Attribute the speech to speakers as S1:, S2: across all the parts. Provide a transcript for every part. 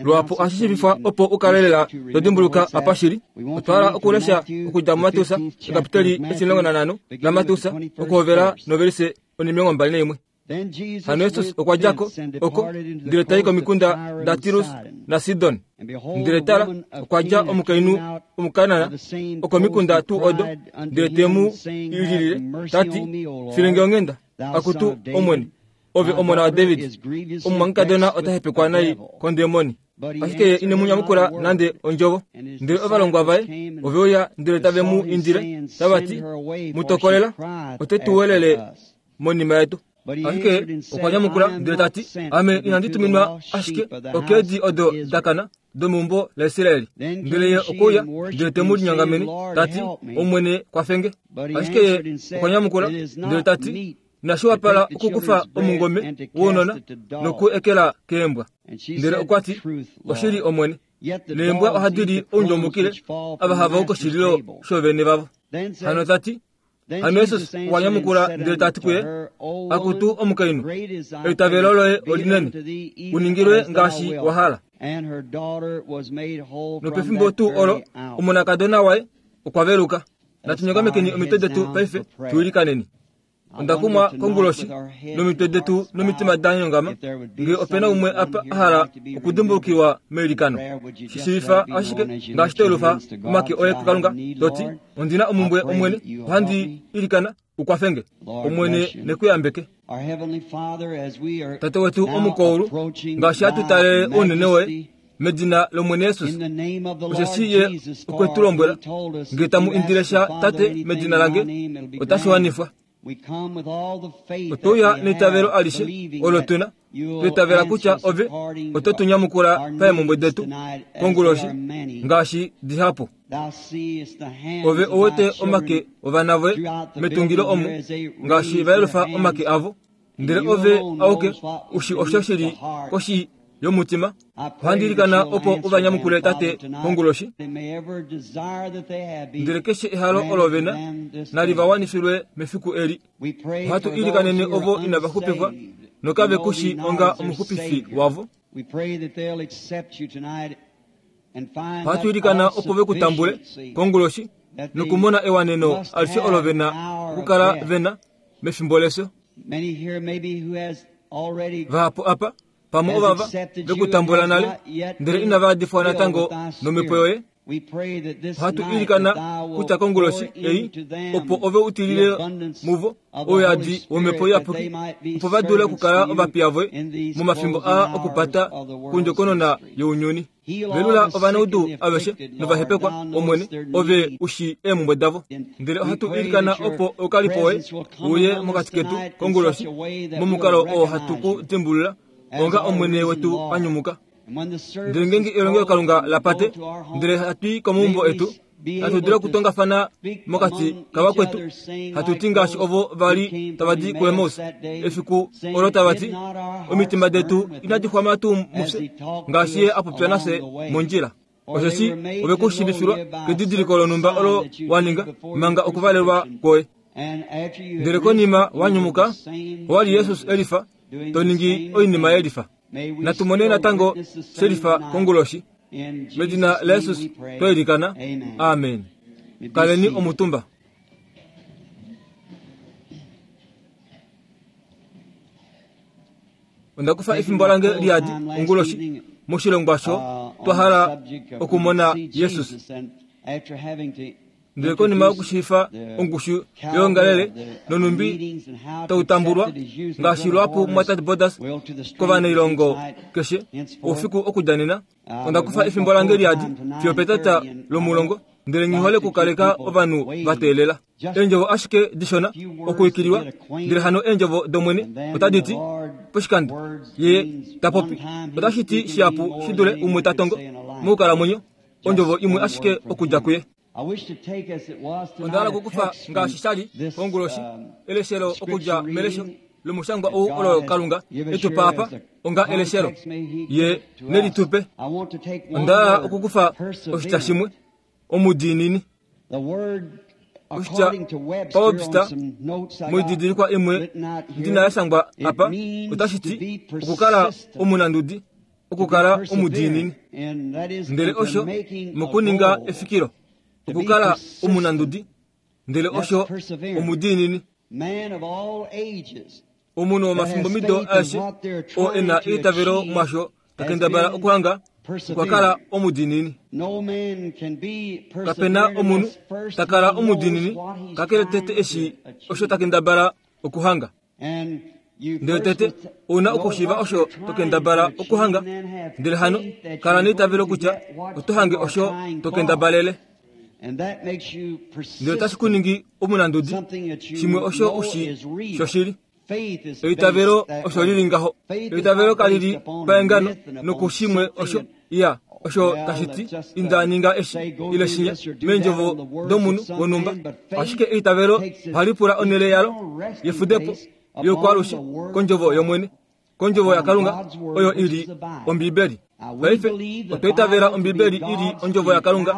S1: Luhapu ohashi shiivifwa opo u kale lela to dimbuluka apa shi li. Otwa hala okulesha okudja muMateus ekapiteli etimulongo nanhano laMateus okuhovela novelise onimilongo mbali naimwe. Hano Jesus okwa dja ko oko ndele ta i komikunda daTirus naSidon. Ndele tala, okwa dja omukainhu Omukanaan okomikunda tuu odo, ndele te mu ililile ta ti, File nge onghenda, akutu Omwene, ove omona waDavid, omumwangekadona ota hepekwa nai kondemoni. Ashike ye ine mu nyamukula nande ondjovo. Ndele ovalongwa vaye ove uya ndele tave mu indile tava ti, Mu tokolela, ote tu welele monima yetu. Ashike okwa nyamukula ndele ta ti, Ame inandi tuminwa ashike okeedi odo da kana domeumbo laIsrael. Ndele ye okwe uya ndele te mu linyongamene ta ti, Omwene, kwafe nge. Ashike ye okwa nyamukula ndele ta ti, Inashi wapala okukufa omungome wounona noku ekela keembwa. Ndele okwa ti, Oshili Omwene, neembwa ohadi li oundjomukile ava hava u koshililo shoovene vavo. Hano ta ti, Hano Jesus okwa nyamukula ndele ta ti kuye, Akutu omukainhu, eitavelo loye olinene, u ningilwe ngaashi wa hala. Nopefimbo tuu olo omonakadona waye okwa veluka. Natu nyongamekeni omitwe detu paife tu ilikaneni. Onda kumwa konguloshi nomitwe detu nomitima da nyongama ngee ope na umwe apa a hala okudimbulukiwa meilikano. Shi shiivifa ashike ngaashi to yelufa omake oye kuKalunga to ti, Ondi na omumbwe, Omwene, ohandi ilikana u kwafe nge. Omwene ne ku yambeke. Tate wetu omukoulu, ngaashi hatu talele ounene woye, medina lOmwene Jesus, osheshi ye okwe tu lombwela, nge tamu indile sha Tate medina lange, otashi wanifwa. Otwe uya neitavelo alishe olo tu na, twa itavela kutya ove oto tu nyamukula paemhumbwe detu konguloshi ngaashi dihapu. Ove owete omake ovana voye metungilo omu ngaashi va yelufa omake avo. Ndele ove auke u shi osho shi li koshi yomutima. Ohandi ilikana opo u va nyamukule Tate konguloshi. Ndele keshe ehalo olo ve na, nali va wanifilwe mefiku eli. Ohatu ilikanene ovo inava xupifwa nokave ku shi onga omuxupifi wavo. Ohatu ilikana opo ve ku tambule konguloshi nokumona ewaneno alishe olo ve na okukala ve na mefimbo lefyo. Vahapu apa pamwe ovava ve ku tambula nale ndele inava yadifwa natango nomhepo yoye. Ohatu ilikana kutya konguloshi ei opo ove u tilile muvo ouyadi womhepo iyapuki opo va dule okukala ovapiya voye momafimbo aa okupata kondjokonona younyuni. Velula ovanaudu aveshe novahepekwa, Omwene, Ove u shii eemhumbwe davo. Ndele ohatu ilikana opo oukalipo woye uye mokati ketu konguloshi momukalo oo hatu ku dimbulula onga Omwene wetu a nyumuka. Ndele ngeenge elongelokalunga la pate, ndele hatu i komaumbo etu, hatu dulu okutongafana mokati kavakwetu, hatu ti ngaashi ovo va li tava di kuEmaus efiku olo tava ti, Omitima detu inadi xwama tuu mufye, ngaashi ye a popya nafye mondjila? Osheshi ove ku shiivifilwa kedidiliko lonhumba olo wa ninga manga okuvalelwa kwoye. Ndele konima wa nyumuka, owa li Jesus e lifa, to ningi oinima ye lifa. Natu mone natango she lifa konguloshi. Medina laJesus twa ilikana. Amen. Kaleni omutumba. Onda kufa efimbo lange liyadi onguloshi moshilongwa sho twa hala okumona Jesus. Ndele konima yokushiifa ongushu yoongalele nonhumbi tau tambulwa, ngaashi luhapu mwatate Borders kovanailongo keshe oufiku okudja nena, onda kufa efimbo lange liyadi fiyo petata lomulongo, ndele nghi hole okukaleka ovanhu va teelela. Eendjovo ashike dishona okuikililwa, ndele hano eendjovo dOmwene otadi ti, poshikando Ye ta popi, otashi ti shihapu shi dule umwe ta tongo mokukalamwenyo. ondjovo imwe ashike okudja kuye. Onda hala okukufa ngaashi sha li konguloshi eleshelo okudja melesho lomushangwa ou olo Kalunga e tu pa apa onga eleshelo ye ne li tu pe. Onda hala okukufa oshitya shimwe, omudiinini. Oshitya paWebster moididilikwa imwe ndi na ya shangwa apa otashi ti okukala omunandudi. okukala omudiinini. Ndele osho mokuninga efikilo, okukala omunandudi, ndele osho omudiinini. Omunhu womafimbomido aeshe oo e na eitavelo mwasho ta kendabala okuhanga okwa kala omudiinini. Kape na omunhu ta kala omudiinini kakele tete eshi osho ta kendabala okuhanga. Ndele tete ou na okushiiva osho to kendabala okuhanga, ndele hano kala neitavelo kutya oto hange osho to kendabalele. Ndele otashi ku ningi omunandudi, shimwe osho u shi shoshili. Eitavelo osho li li ngaho. Eitavelo kali li paengano nokushimwe osho ya osho tashi ti inda ninga eshi ile shinya meendjovo domunhu wonhumba. Ashike eitavelo ohali pula onhele yalo yefudepo yokwaalushe kondjovo yOmwene, kondjovo yaKalunga oyo i li Ombibeli. Paife otwa itavela Ombibeli i li ondjovo yaKalunga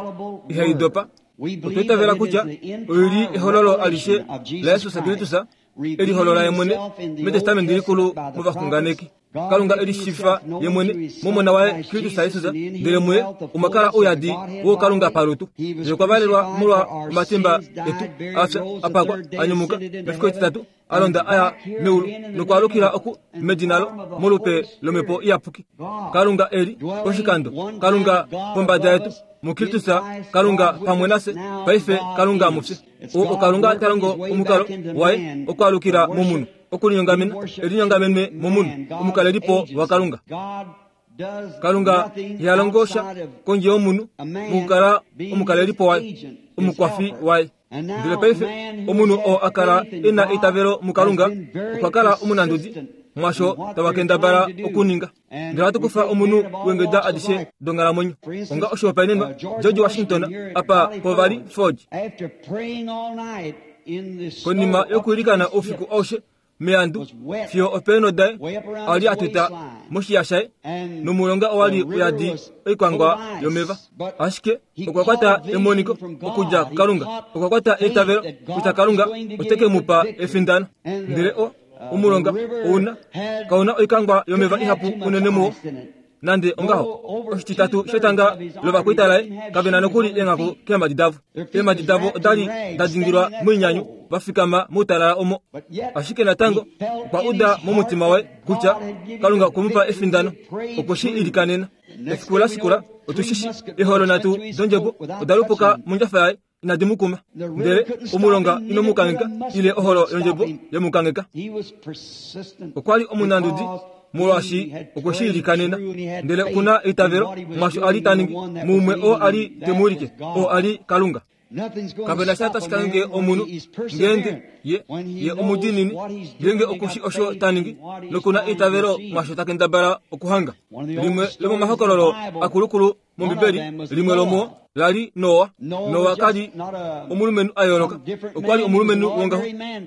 S1: ihai dopa. Otwa itavela kutya oi li ehololo alishe laJesus Kristus e liholola ye mwene mEtestamenti Likulu movaxunganeki. Kalunga e lishiivifa ye mwene mOmona waye Kristus Jesus, ndele muye omwa kala ouyadi woukalunga palutu. Ye okwa valelwa molwa omatimba etu, a fya, a pakwa, a nyumuka mefiku etitatu, a londa a ya meulu nokwaalukila oku medina lo molupe lOmhepo Iyapuki. Kalunga e li poshikando, Kalunga pombada yetu, muKristus, Kalunga pamwe nafye, paife Kalunga mufye. O Kalunga ta longo omukalo waye okwaalukila momunhu, okulinyongamena, elinyongamene momunhu, omukalelipo waKalunga. Kalunga iha longo sha kondje yomunhu mokukala omukalelipo waye, omukwafi waye. Ndele paife omunhu oo a kala e na eitavelo muKalunga okwa kala omunandudi mwasho tava kendabala okuninga. Ndele ohatu kufa omunhu weengeda adishe donghalamwenyo. Onga oshihopaenenwa, George Washington apa povali Forge. Konima yokuilikana oufiku aushe meandu fiyo opeenho daye a li a tuta moshiya shaye nomulonga owa li uyadi oikwangwa yomeva. Ashike okwa kwata emoniko okudja kuKalunga, okwa kwata eitavelo kutya Kalunga ote ke mu pa efindano. Ndele o omulonga ouna kau na oikangwa yomeva ihapu unene muwo. Nande ongaho, oshititatu shetanga lovakwaita laye kave na nokuli eenghaku keemhadi davo. Eemhadi davo oda li da dingilwa moinyanyu, va fikama moutalala omo. Ashike natango okwa uda momutima waye kutya Kalunga okwe mu pa efindano. Okwe shi ilikanena. Efiku la shikula, otu shi shii, eeholo nhatu dondjebo oda lupuka mondjafa yaye inadi mu kuma, ndele omulonga ino mu kangheka, ile oholo yondjebo ye mu kangheka. Okwa li omunandudi molwaashi okwe shi ilikanena, ndele oku na eitavelo mwaasho a li ta ningi, muumwe oo a li te mu wilike, oo a li Kalunga. Kape na sha tashi kangheke omunhu ngeenge ye, ye omudiinini, ngeenge oku shi osho ta ningi noku na eitavelo mwaasho ta kendabala okuhanga. Limwe lomomahokololo akulukulu mOmbibeli, limwe lomuo la li Noa. Noa ka li omulumenhu a yooloka, okwa li omulumenhu wongaho,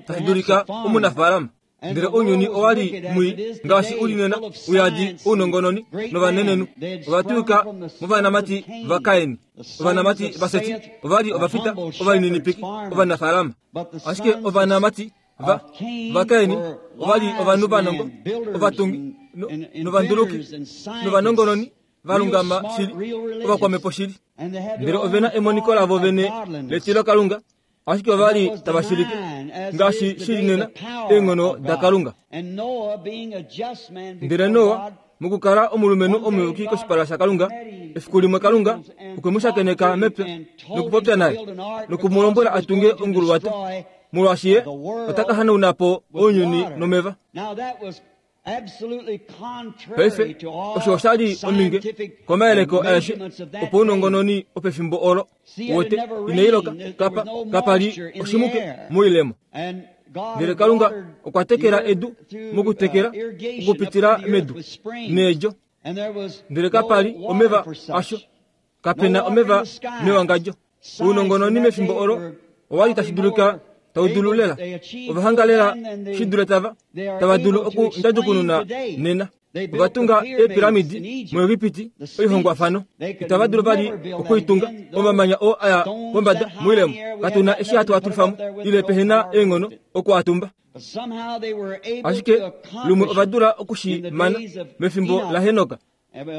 S1: tashi dulika omunafaalama. Ndele ounyuni owa li mwii ngaashi u li nena, uyadi ounongononi novanenenhu. Ova twiyuka movanamati vaKain. Ovanamati vaSeti ova li ovafita ovalininipiki, ovanafaalama. Ashike ovanamati va vaKain ova li ovanhu vanongo, ovatungi novanduluki novanongononi va lungama shili, ovakwamhepo shili. Ndele ove na emoniko lavo vene letilokalunga, ashike ova li tava shilike, ngaashi shi li nena, eenghono daKalunga. Ndele Noa, mokukala omulumenhu omuyuki koshipala shaKalunga, efiku limwe Kalunga okwe mu shakeneka mepya nokupopya naye noku mu lombwela a tunge onguluwato, molwaashi ye ota ka hanauna po ounyuni nomeva. Paife, osho osha li ominge komayeleko aeshe opounongononi opefimbo olo. Wote, inai loka, kapa, kapa li oshimuke moilemo. Ndele Kalunga okwa tekela edu mokutekela okupitila medu needjo, ndele kapa li omeva asho. Kape na omeva mewangadjo. Ounongononi mefimbo olo owa li tashi dulika tau dulu lela. Ova hanga lela shi dule tava, tava dulu okundjadukununa nena. Ova tunga eepiramidi muEgipiti, oihongwafano. Itava dulu vali okuitunga. Omamanya oo a ya pombada moilemo, katu na eshi hatu a tulifa mo, ile pehe na eenghono oku a tumba. Ashike lumwe ova dula oku shi mana mefimbo laHenok.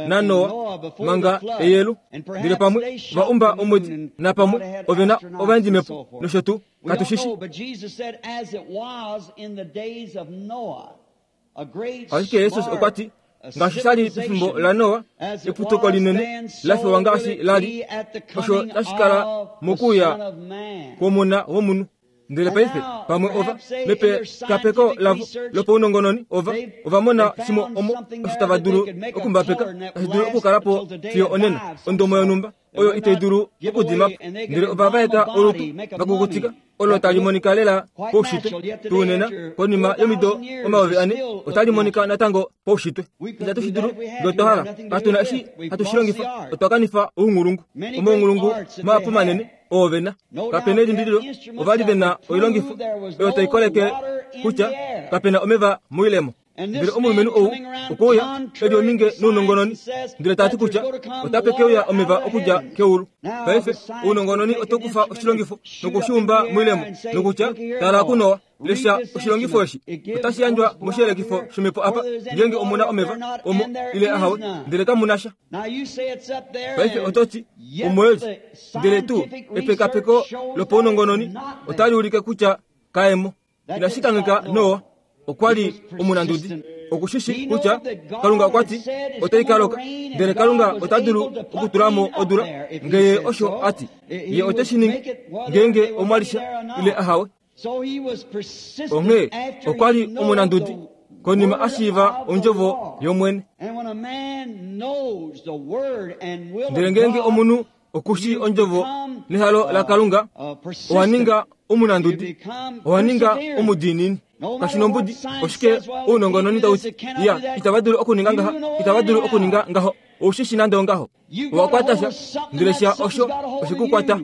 S1: naNoa manga eyelu. Ndele pamwe va umba omwedi, napamwe ove na ovaendimhepo nosho tuu. Katu shi shii. Ashike Jesus okwa ti, ngaashi sha li pefimbo laNoa, eputuko linene la fewa ngaashi la li, osho tashi kala mokuuya kwOmona wOmunhu. Ndele paife, pamwe ova, mepekapeko lavo lopaunongononi, ova, ova mona shimwe omo osho tava dulu okumbapeka, tashi dulu okukala po fiyo onena, ondomo yonhumba oyo itai dulu okudima po. Ndele ova vaeka olutu va kukutika, olo tali monika lela paushitwe tuu nena, konima yomido 4000, otali monika natango paushitwe. Itatu shi dulu ngee otwa hala. Katu na eshi hatu shi longifa. Otwa kanifa ounghulungu. Omaunghulungu mahapu manene oo ve na. Kape na elimbililo, ova li ve na oilongifo oyo tai koleke kutya kape na omeva moilemo. Ndele omulumenhu ou okwe uya e li ominge nounongononi, ndele ta ti kutya otape ke uya omeva okudja keulu. Paife, ounongononi oto kufa oshilongifo noku shi umba moilemo, nokutya, Tala kuNoa, lesha oshilongifo eshi. Otashi yandjwa moshiyelekifo shomhepo apa, ngeenge omu na omeva omo ile ahawe, ndele kamu na sha. Paife oto ti, Omoeli. Ndele tuu epekapeko lopaunongononi otali ulike kutya kae mo. Inashi kangheka Noa okwa li omunandudi. Oku shi shii kutya Kalunga okwa ti otai ka loka, ndele Kalunga ota dulu okutula mo odula nge Ye osho a ti. Ye ote shi ningi ngeenge omwa li sha ile ahawe. Onghee okwa li omunandudi konima a shiiva ondjovo yOmwene. Ndele ngeenge omunhu oku shii ondjovo nehalo laKalunga, owa ninga omunandudi, owa ninga omudiinini. Kashi nombudi oshike ounongononi tau ti, ya, itava dulu okuninga ngaha, itava dulu okuninga ngaho. Ou shi shi nande ongaho. Owa kwata sha, ndele sha osho oshe ku kwata.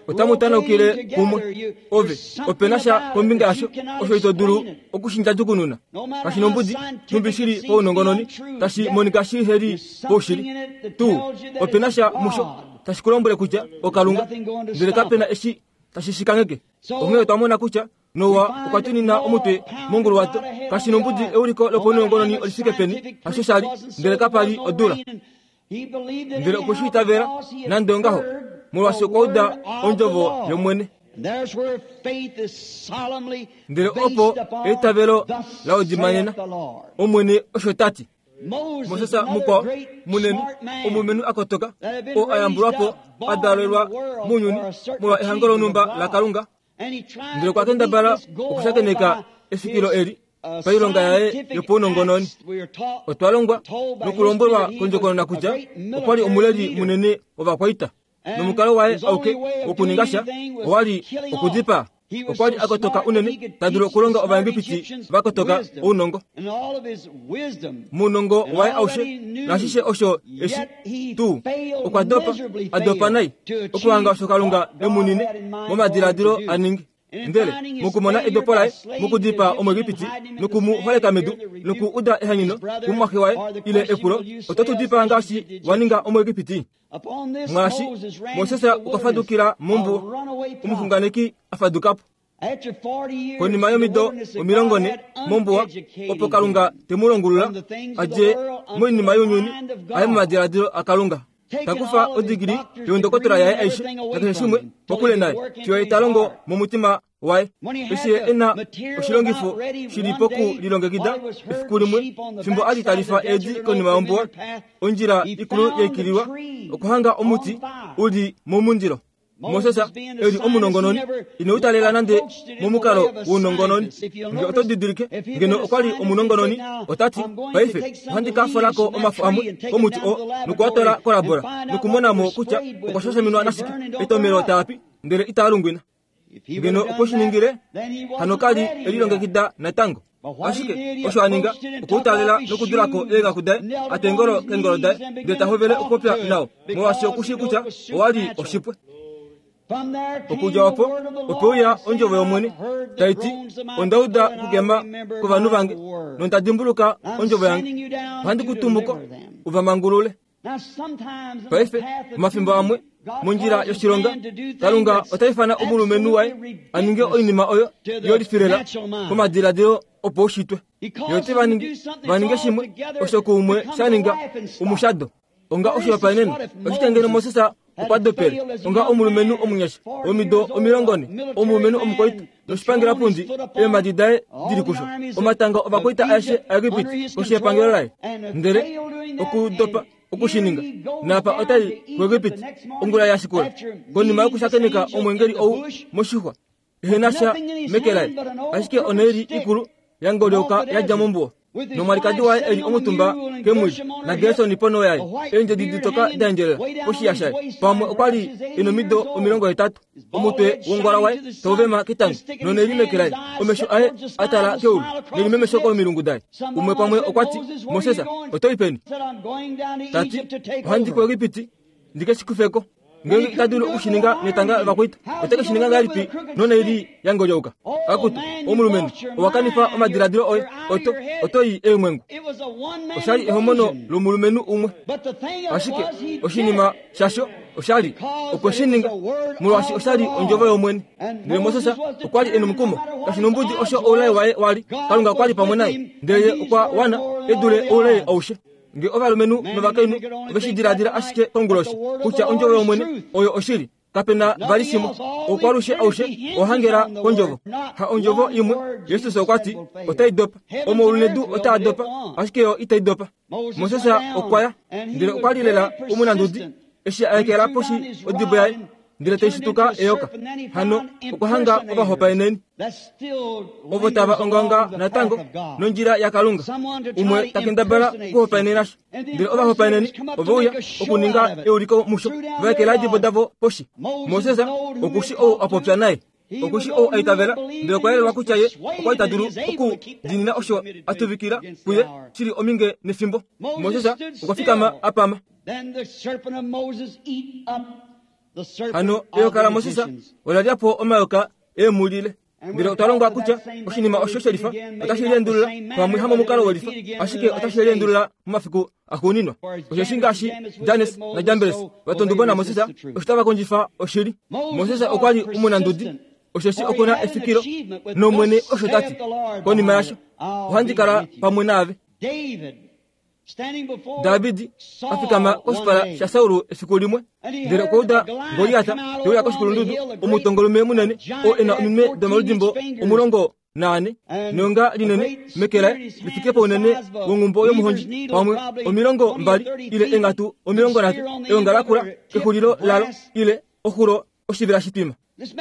S1: Otamu tanaukile kumwe. Ove, ope na sha kombinga yasho osho ito dulu oku shi ndjadjukununa. Kashi nombudi nhumbi shi li paunongononi, tashi monika shi he li paushili. Tuu, ope na sha musho tashi ku lombwele kutya oKalunga, ndele kape na eshi tashi shi kangheke. Onghee otwa mona kutya Noa okwa tunina omutwe monguluwato. Kashi nombudi euliko lopaunongononi oli fike peni, hasho sha li, ndele kapa li odula. Ndele okwe shi itavela, nande ongaho, molwaashi okwa uda ondjovo yOmwene. Ndele opo eitavelo la odimanena, Omwene osho ta ti. Moses mukwao munene, omulumenhu a kotoka, oo a yambulwa po, a dalelwa mounyuni molwa ehango lonhumba laKalunga, Ndele okwa kendabala okushakeneka efikilo eli pailonga yaye yopaunongononi. Otwa longwa nokulombwelwa kondjokonona kutya okwa li omuleli munene wovakwaita, nomukalo waye auke wokuninga sha owa li okudipaa. Okwa li a kotoka unene ta dulu okulonga Ovaegipiti va kotoka ounongo. Mounongo waye aushe naashishe osho eshi tuu okwa dopa, a dopa nai okuhanga osho Kalunga e mu nine momadiladilo a ninge. Ndele mokumona edopo laye mokudipaa Omuegipiti noku mu holeka medu noku uda ehanyeno kumumwaxe waye ile epulo, oto tu dipaa ngaashi wa ninga Omuegipiti? Mwaashi Moses okwa fadukila mombuwa, omuxunganeki a faduka po. Konima yomido 40 mombuwa, opo Kalunga te mu longulula a dje moinima younyuni a ye momadiladilo aKalunga. Ta kufa odigili youndokotola yaye aishe nakeshe shimwe kokule naye fiyo ye ta longo momutima waye. Eshi ye e na oshilongifo shi li pokulilongekida efiku limwe, fimbo a li ta lifa eedi konima yombuwa, ondjila ikulu ya ikililwa, okwa hanga omuti u li momundilo. Moses e li omunongononi ine u talela nande momukalo wounongononi. Nge oto didilike, ngeno okwa li omunongononi, ota ti, Paife, ohandi ka fola ko omafo amwe komuti oo noku a twala kolabola, nokumona mo kutya okwa shashaminwa nashike, etomelo taa pi, ndele itaa lungwina. Ngeno okwe shi ningile, hano ka li e lilongekida natango. Ashike osho a ninga, okwe u taalela nokudula ko eenghaku daye, a twa eengolo keengolo daye, ndele ta hovele okupopya nao, molwaashi oku shii kutya owa li oshipwe. Okudja opo, ope uya ondjovo yOmwene, tai ti, Onda uda okukema kwovanhu vange, nonda dimbuluka ondjovo yange. Ohandi ku tumu ko, u va mangulule. Paife, omafimbo amwe, mondjila yoshilonga, Kalunga ota ifana omulumenhu waye a ninge oinima oyo yolifilela komadiladilo opaushitwe. Ye ote va ningi va ninge shimwe osho kuumwe sha ninga omushado. Onga oshihopaenenwa, oshike ngeno Moses okwa dopele onga omulumenhu omunyasha womido 40, omulumenhu omukwaita noshipangelapundi eemhadi daye di li kusho, omatanga ovakwaita aeshe aEgipiti koshi yepangelo laye, ndele okudopa oku shi ninga, naapa otai kuEgipiti ongula ya shikula konima yokushakeneka omwengeli ou moshixwa ehe na sha meke laye, ashike onhaili ikulu ya ngolyoka ya dja mombuwa, nomwalikadi waye e li omutumba kemwili, naGerson ponho yaye, eendjedi ditoka da endjelela poshiya shaye. Pamwe okwa li e nomido 80, omutwe wongwala waye tau vema ketango, nonhaili meke laye, omesho aye a tala keulu, nelimemesho komilungu daye. Umwe pamwe okwa ti, Moses, oto i peni? Ta ti, Ohandi kuEgipiti ndi ke shi kufe ko. Ngeenge ita dulu oku shi ninga netanga lovakwaita, ote ke shi ninga ngahelipi nonaili ya ngolyauka? Akutu, omulumenhu, owa kanifa omadiladilo oye, oto, oto i eemwengu. Osha li ehomono lomulumenhu umwe. Ashike oshinima shasho osha li, okwe shi ninga, molwaashi osha li ondjovo yOmwene. Ndele Moses okwa li e nomukumo, kashi nombudi osho oulai waye wa li, Kalunga okwa li pamwe naye, ndele ye okwa wana e dule oulai aushe. Nge ovalumenhu novakainhu ove shi diladila ashike konguloshi kutya ondjovo yOmwene oyo oshili, kape na vali shimwe. Oukwalushe aushe owa hangela kondjovo, ha ondjovo imwe. Jesus okwa ti, Otai dopa. Omaulu nedu otaa dopa, ashike yo itai dopa. Moses okwa ya, ndele okwa li lela omunandudi eshi a ekela poshi odibo yaye ndele tai shituka eyoka. Hano okwa hanga ovahopaeneni ovo tava ongaonga natango nondjila yaKalunga. Umwe ta kendabala okuhopaenena sha, ndele ovahopaeneni ove uya okuninga euliko musho, va ekela eedibo davo poshi. Moses oku shi ou a popya naye. Oku shi ou a itavela, ndele okwa yelelwa kutya ye okwa li ta dulu okudiinina osho a tuvikila kuye shi li ominge nefimbo. Moses okwa fikama a pama. Hano eyoka laMoses ola lya po omayoka eemhulile. Ndele otwa longwa kutya oshinima osho shelifa otashi liendulula pamwe hamomukalo welifa, ashike otashi liendulula momafiku axuuninwa. Osheshi ngaashi Jannes naJambres va tonduba naMoses, osho tava kondjifa oshili. Moses okwa li omunandudi, osheshi oku na efikilo, nOmwene osho ta ti, Konima yasho, ohandi kala pamwe naave. David a fikama koshipala shaSaul efiku limwe, ndele okwa uda Goliat te uya koshikulundudu, omutongolume munene oo e na ominwe domaludimbo 14, neonga linene meke laye li fike pounene wonghumbo yomuhondji, pamwe 20 ile eenghatu 30, eonga lakula kexulilo lalo ile oxulo oshivela shitwima.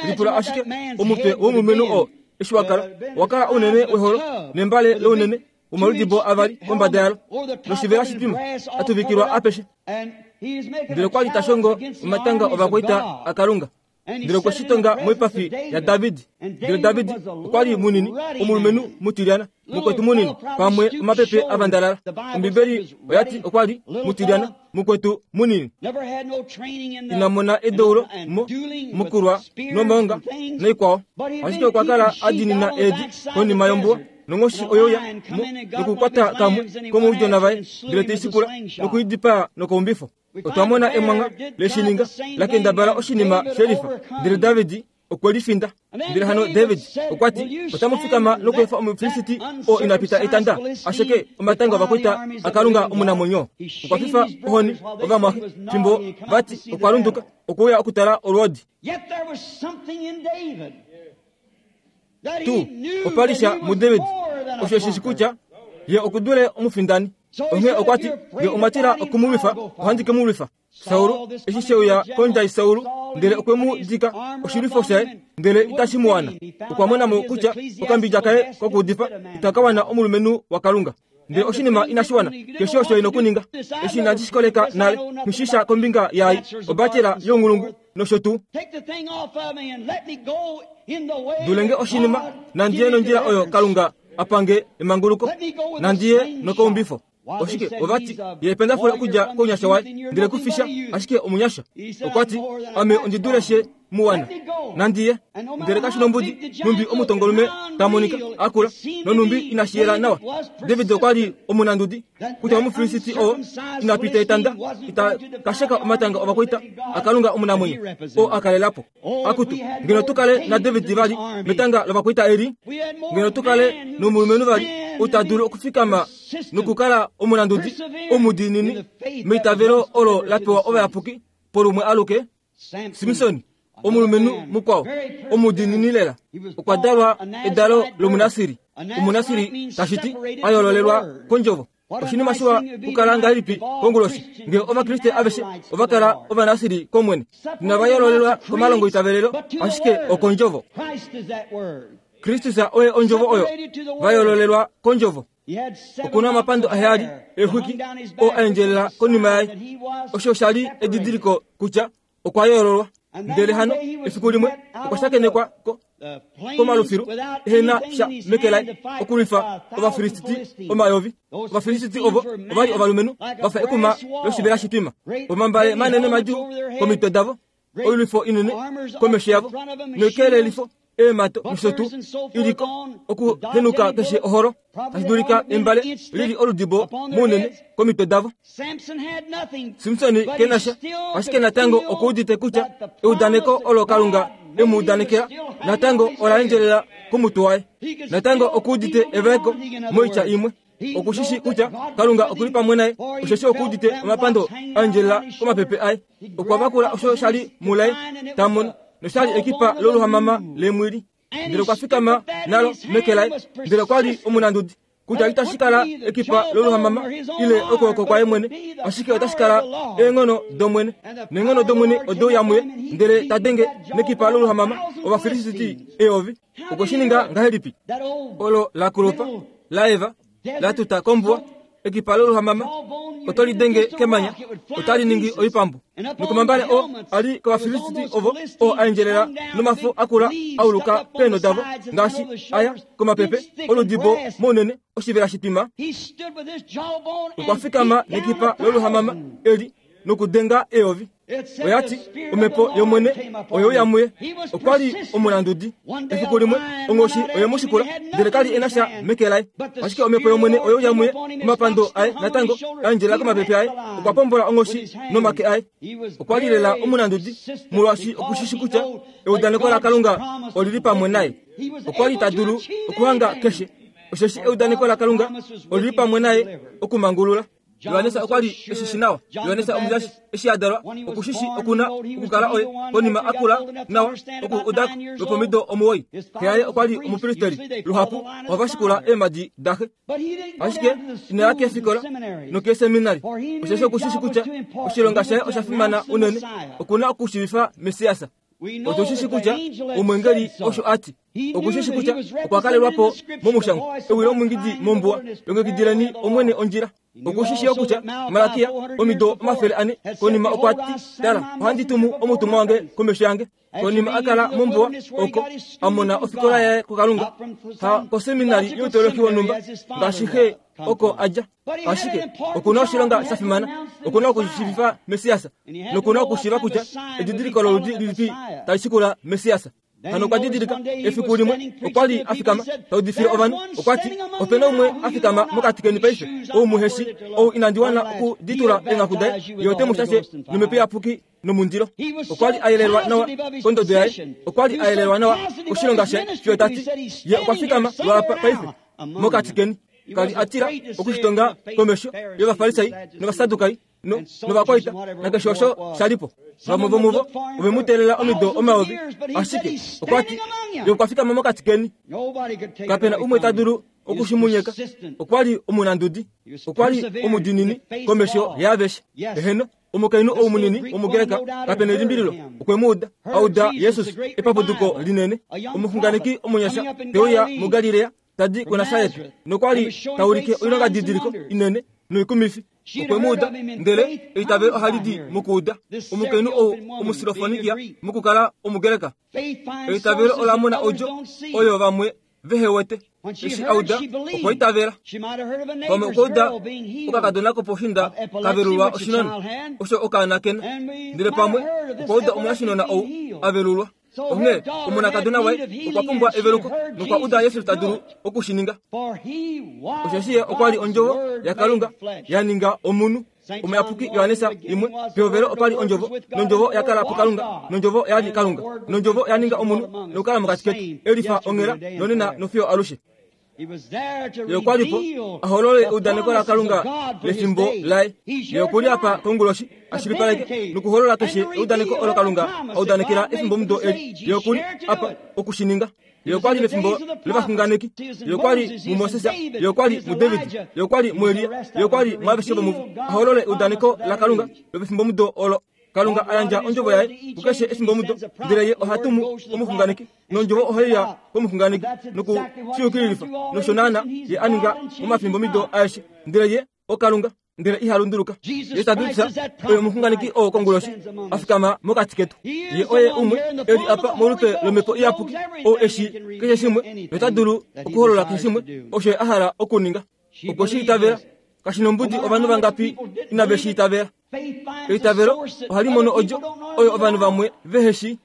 S1: Lipula ashike omutwe womulumenhu oo eshi wa kala, wa kala ounene weholo nembale lounene womaludibo avali kombada yalo, noshivela shitwima a tuvikilwa apeshe. Ndele okwa li ta shongo omatanga ovakwaita aKalunga. Ndele okwe shi tonga moipafi yaDavid. Ndele David okwa li munini, omulumenhu mutilyana, mukwetu munini, pamwe omapepe a vandalala. Ombibeli oya ti okwa li mutilyana, mukwetu munini. Ina mona edeulo mo, mokulwa nomaonga noikwao. Ashike okwa kala a diinina eedi konima yombuwa, nonghoshi oye uya mo nokukwata kamwe komoudjona vaye, ndele te i shikula noku i dipaa nokaumbifo. Otwa mona emwangha le shi ninga, la kendabala oshinima shelifa, ndele David okwe li finda. Ndele hano David okwa ti, Otamu fikama nokweefa Omufilisti oo ina pita etanda a sheke omatanga ovakwaita aKalunga omunamwenyo? Okwa fifa ohoni ovamwaxe fimbo vati okwa lunduka okuuya okutala olwoodi. Tu opa li sha muDavid osho shi shi kutya ye oku dule omufindani. Onghee okwa ti, Nge omwa tila oku mu lwifa, ohandi ke mu lwifa. Saul eshi she uya kondjai Saul, ndele okwe mu dika oshilwifo shaye, ndele itashi mu wana. Okwa mona mo kutya okambidja kaye kokuudifa itaka wana omulumenhu waKalunga. Ndele oshinima inashi wana, keshe osho e nokuninga. Eshi inandi shi koleka nale, nghi sha kombinga yaai, obatela younghulungu nosho tuu. Dulenge oshinima, nandi ye nondjila oyo Kalunga a pange emanguluko, nandi ye nokaumbifo. Oshike ova ti, Ye ependafule okudja kounyasha waye, ndele ku fi sha, ashike omunyasha. Okwa ti, Ame ondi dule xe mu wana. Nandi ye. Ndele kashi nombudi, nhumbi omutongolume ta monika, a kula, nonhumbi inashi yela nawa. David okwa li omunandudi, kutya Omufilisiti oo ina pita etanda ita ka sheka omatanga ovakwaita aKalunga omunamwenyo, oo a kalela po. Akutu, ngeno tu kale naDavid vali metanga lovakwaita eli, ngeno tu kale nomulumenhu vali. ou ta dulu okufikama nokukala omunandudi omudiinini meitavelo olo la pewa ovayapuki polumwe aluke? Simson, omulumenhu mukwao omudiinini lela, okwa dalwa edalo lomunasiri. Omunasiri tashi ti a yoololelwa kondjovo. Oshinima shiwa okukala ngahelipi konguloshi ngee Ovakriste aveshe ova kala Ovanasiri kOmwene, inava yoololelwa komalongoitavelelo, ashike okOndjovo. Kristus oye Ondjovo oyo, va yoololelwa kOndjovo. Oku na omapando aheyali eexwiki oo a endjelela konima yaye. Osho osha li edidiliko kutya okwa yoololwa. Ndele hano efiku limwe okwa shakenekwa ko, komalufilu ehe na sha meke laye okulwifa Ovafilisti omayovi. Ovafilisti ovo ova li ovalumenhu va fa ekuma loshivela shitwima, omambale manene madjuu komitwe davo, oilwifo inene komesho yavo noikelelifo eemato nosho tuu i li ko okuhenuka keshe oholo tashi dulika embale li li oludibo mounene komitwe davo. Simson ke na sha, ashike natango okuudite kutya eudaneko olo Kalunga e mu udanekela natango ola endjelela komutwe waye. Natango okuudite evaeko moitya imwe. Oku shi shii kutya Kalunga oku li pamwe naye, osheshi okuudite omapando a endjelela komapepe aye. Okwa vakula osho sha li mulaye ta mono, nosha li ekipa loluhamama leemwili. Ndele okwa fikama nalo meke laye, ndele okwa li omunandudi, kutya itashi kala ekipa loluhamama ile okwooko kwaye mwene, ashike otashi kala eenghono dOmwene. Neenghono dOmwene ode uya muye, ndele ta denge nekipa loluhamama Ovafilisti eyovi. Okwe shi ninga ngahelipi? Olo la kulupa, la eva, la tuta kombuwa, ekipa loluhamama oto li denge kemanya, otali ningi oipambu. Nokomambale oo a li kOvafilisti ovo oo a endjelela nomafo a kula a uluka peenho davo ngaashi aya komapepe oludibo mounene oshivela shitwima. Okwa fikama nekipa loluhamama eli nokudenga eyovi. Oya ti, Omhepo yOmwene oye uya muye. Okwa li omulandudi. Efiku limwe, onghoshi oye mu shikula, ndele ka li e na sha meke laye. Ashike Omhepo yOmwene oye uya muye, omapando aye natango a endjelela komapepe aye. Okwa pombola onghoshi nomake aye. Okwa li lela omunandudi, molwaashi oku shi shi kutya eudaneko laKalunga oli li pamwe naye. Okwa li ta dulu okuhanga keshe, osheshi eudaneko laKalunga oli li pamwe naye okumangulula. Johannes okwa li e shi shi nawa. Johannes Omujashi eshi a dalwa oku shi shi oku na okukala oye konima a kula nawa oku uda ko lwopomido omuwoi. Xe yaye okwa li omupristeri. Luhapu ohava shikula eemhadi daxe. Ashike ina ya keefikola nokeeseminari, osheshi oku shi shi kutya oshilonga shaye osha fimana unene, oku na okushiivifa Messias. Otu shi shi kutya omwengeli osho a ti. Oku shi shi kutya okwa kalelwa po momushangwa ewi lomwingidi mombuwa, longekidileni Omwene ondjila. Oku shi shi yo kutya Malakia omido 400 konima okwa ti, Tala, ohandi tumu omutumwa wange komesho yange. Konima a kala mombuwa oko a mona ofikola yaye kuKalunga, ha koseminari youtoloki wonhumba ngaashi xe oko a dja. Ashike oku na oshilonga sha fimana, oku na okushiivifa Messias noku na okushiiva kutya edidiliko loludi lilipi tali shikula Messias. Hano okwa didilika efiku limwe okwa li a fikama ta udifile ovanhu, okwa ti, Ope na umwe a fikama mokati keni paife, ou muhe shi, ou inandi wana okuditula eenghaku daye, ye ote mu shashe nomhepo iyapuki nomundilo. Okwa li a yelelwa nawa kondodo yaye, okwa li a yelelwa nawa koshilonga shaye, fiyo ta ti, Ye okwa fikama lwaapa paife mokati keni. Ka li a tila okushitonga komesho yOvafarisai nOvasadukai no, novakwaita nakeshe osho sha li po. Vamwe vomuvo ove mu teelela omido omayovi, ashike okwa ti, Ye okwa fikama mokati keni. Kape na umwe ta dulu oku shi mu nyeka. Okwa li omunandudi. Okwa li omudiinini komesho yaaveshe. Eheno, omukainhu ou munini wOmugreka, kape na elimbililo, okwe mu uda, a uda Jesus, epapuduko linene, omuxunganeki omunyasha te uya muGalilea, ta di kuNasaret, nokwa li ta ulike oilongadidiliko inene noikumifi. Okwe mu uda, ndele eitavelo ohali di mokuuda. Omukainhu ou Omusilofonikia mokukala Omugreka. Eitavelo ola mona odjo oyo vamwe vehe wete. Eshi a uda, okwa itavela. Pamwe okwa uda okakadona koposhinda ka velulwa oshinona, osho okaana kena. Ndele pamwe okwa uda omunashinona ou a velulwa. Onghee omonakadona waye okwa pumbwa eveluko nokwa uda Jesus ta dulu oku shi ninga. Osheshi ye okwa li ondjovo yaKalunga ya ninga omunhu. Omuyapuki Johannes imwe, pehovelo opa li ondjovo, nondjovo oya kala puKalunga, nondjovo oya li Kalunga. Nondjovo oya ninga omunhu nokukala mokati ketu, e lifa onghela nonena nofiyo alushe. Ye okwa li po a holole eudaneko laKalunga lefimbo laye. Ye oku li apa konguloshi a shilipaleke nokuholola keshe eudaneko olo Kalunga a udanekela efimbomudo eli. Ye oku li apa oku shi ninga. Ye okwa li mefimbo lovaxunganeki. Ye okwa li muMoses. Ye okwa li muDavid. Ye okwa li muElia. Ye okwa li muaveshe vomuvo a holole eudaneko laKalunga lopefimbomudo olo. Kalunga a yandja ondjovo yaye kukeshe efimbomudo, ndele ye oha tumu omuxunganeki, nondjovo ohai ya komuxunganeki noku shi yukililifa, nosho naana ye a ninga momafimbomido aeshe. Ndele ye oKalunga, ndele iha lunduluka. Ye ta dulisa oye omuxunganeki oo konguloshi a fikama mokati ketu. Ye oye umwe e li apa molupe lOmhepo Iyapuki, oo e shii keshe shimwe nota dulu okuholola keshe shimwe osho ye a hala okuninga. Okwe shi itavela. Kashi nombudi ovanhu vangapi inave shi itavela. Eitavelo ohali mono odjo oyo ovanhu vamwe vehe shii.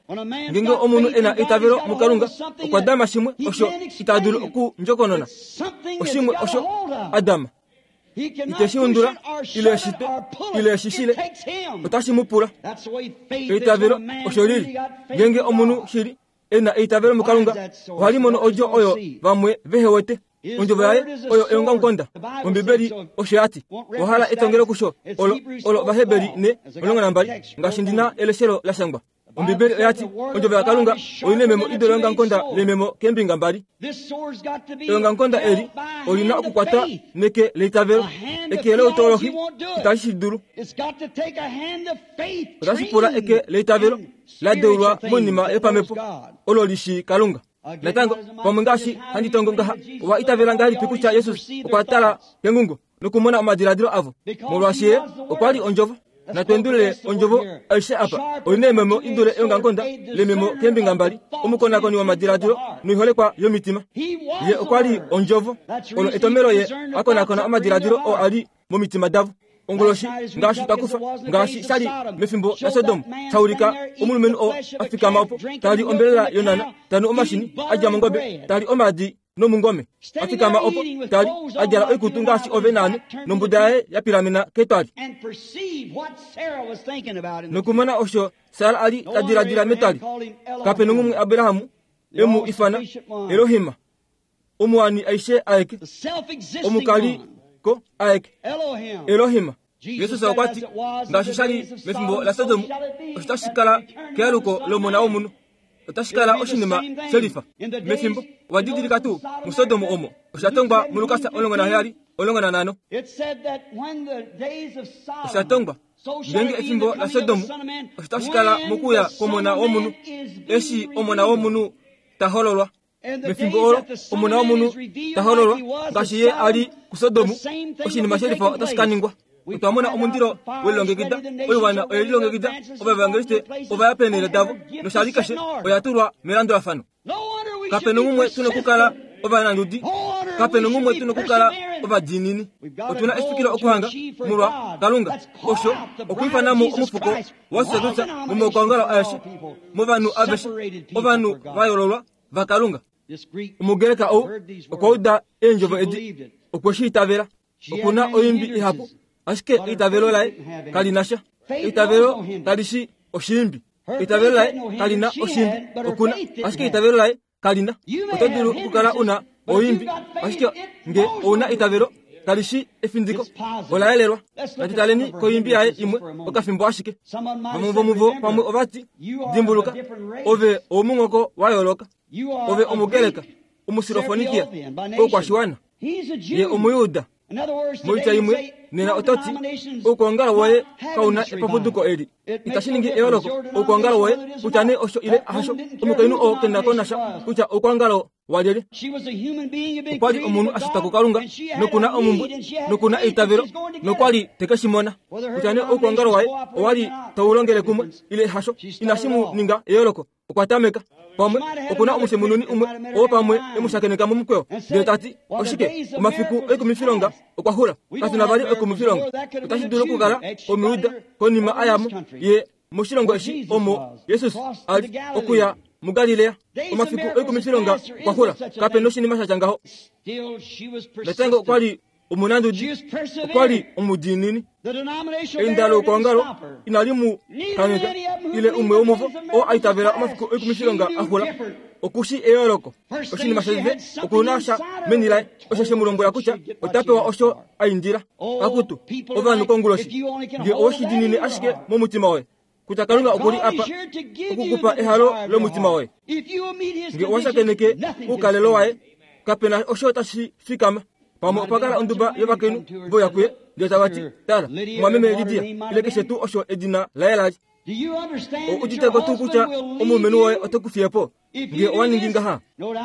S1: Ngeenge omunhu e na eitavelo muKalunga, okwa dama shimwe osho ita dulu okundjokonona. Oshimwe osho a dama. Ite shi undula, ile e shi twe, ile e shi shile. Otashi mu pula. Eitavelo osho li li. Ngeenge omunhu shili e na eitavelo muKalunga, ohali mono odjo oyo vamwe vehe wete. Ondjovo yaye oyo eongamukonda. Ombibeli osho ya ti. Owa hala etongelo kusho olo, olo Ovaheberi ne 12, ngaashi ndi na eleshelo la shangwa. Ombibeli oya ti, Ondjovo yaKalunga oi nememo i dule eongamukonda lememo keembinga mbali. Eongamukonda eli oli na okukwatwa neke leitavelo. Eke loutolohi itali shi dulu. Otashi pula eke leitavelo la deulwa moinima yopamhepo olo li shii Kalunga. Natango, pamwe ngaashi handi tongo ngaha, owa itavela ngahelipi kutya Jesus okwa tala kengungo nokumona omadiladilo avo? Molwaashi ye okwa li Ondjovo. Natu endulule Ondjovo aishe apa. Oi na eememo i dule eongamukonda lememo keembinga mbali, omukonakoni womadiladilo noiholekwa yomitima. Ye okwa li Ondjovo. Olo etomhelo Ye a konakona omadiladilo oo a li momitima davo. Onguloshi ngaashi twa kufa, ngaashi sha li mefimbo laSodom, sha ulika omulumenhu oo a fikama opo, ta li ombelela yonhana, ta nu omashini a dja mongobe, ta li omaadi nomungome, a fikama opo, ta li, a djala oikutu ngaashi ove naame, nombuda yaye ya pilamena ketwali. Nokumona osho Sara a li ta diladila metwali, kape nongumwe Abraham e mu ifana Elohim, Omuwani aishe aeke, omukali ko aeke, Elohim. Jesus okwa ti, ngaashi sha li mefimbo laSodom, osho tashi kala kealuko lOmona wOmunhu. Otashi kala oshinima shelifa. Mefimbo, owa didilika tuu, muSodom omo, osha tongwa muLukas 17, 15. Osha tongwa, ngeenge efimbo laSodom, osho tashi kala mokuuya kwOmona wOmunhu, eshi Omona wOmunhu ta hololwa. Mefimbo olo Omona wOmunhu ta hololwa, ngaashi Ye a li kuSodom, oshinima shelifa otashi ka ningwa. Otwa mona omundilo we lilongekida, oiwana oye lilongekida, ovaevangeliste ova ya peenhele davo, noshali keshe oya tulwa melandulafano. Kape nongumwe tu nokukala ovanandudi, kape nongumwe tu nokukala ovadiinini. Otu na efikilo okuhanga molwa Kalunga, osho okwiifana mo omufuko waSadusa momaukwaongalo aeshe, movanhu aveshe, ovanhu va yoololwa vaKalunga. Omugreka ou okwa uda eendjovo edi, okwe shi itavela. Oku na oimbi ihapu, ashike eitavelo laye kali na sha. Eitavelo kali shi oshiimbi. Eitavelo laye kali na oshiimbi. Oku na, ashike eitavelo laye kali na. Oto dulu okukala u na oimbi, ashike nge ou na eitavelo kali shi efindiko, ola yelelwa. Natu taleni koimbi yaye imwe okafimbo ashike. Vamwe vomuvo pamwe ova ti, Dimbuluka, ove owomunghoko wa yooloka. Ove Omugreka, Omusirofonikia, oukwashiwana. Ye Omuyuda. Moitya imwe, nena oto ti, Oukwaongalo woye kau na epapuduko eli. Itashi ningi eyooloko, oukwaongalo woye, kutya nee osho ile hasho. Omukainhu oo ke na ko nasha kutya oukwaongalo walyelye. Okwa li omunhu a shitwa kuKalunga, noku na omumbwe, noku na eitavelo, nokwa li te ke shi mona. Kutya nee oukwaongalo waye owa li tau longele kumwe ile hasho, inashi mu ninga eyooloko. Okwa tameka. Pamwe oku na omushemununi umwe oo pamwe e mu shakeneka momukweyo ndele ta ti, Oshike, omafiku oikumifilonga okwa xula. Katu na vali oikumifilonga. Otashi dulu okukala Omuyuda konima a ya mo ye moshilongo eshi omo Jesus a li okuya muGalilea. Omafiku oikumifilonga okwa xula. Kape noshinima sha tya ngaho. Natango okwa li omunandudi, okwa li omudiinini. Einda loukwaongalo inali mu kangheka. ile umwe womuvo oo a itavela omafiku oikumifilonga a xula oku shi eyooloko. Oshinima shotete, oku na sha meni laye osho she mu lombwela kutya ota pewa osho a indila. Akutu, ovanhu konguloshi, nge owe shi diinine ashike momutima woye kutya Kalunga oku li apa oku ku pa ehalo lomutima woye, nge owa shakeneke oukalelo waye, kape na osho tashi fikama. Pamwe opa kala onduba yovakainhu voya kuye ndele tava ti, Tala, mumwameme Lidia, ile keshe tuu osho edina laye la li. Ou udite ko tuu kutya omulumenhu woye ote ku fiye po nge owa ningi ngaha?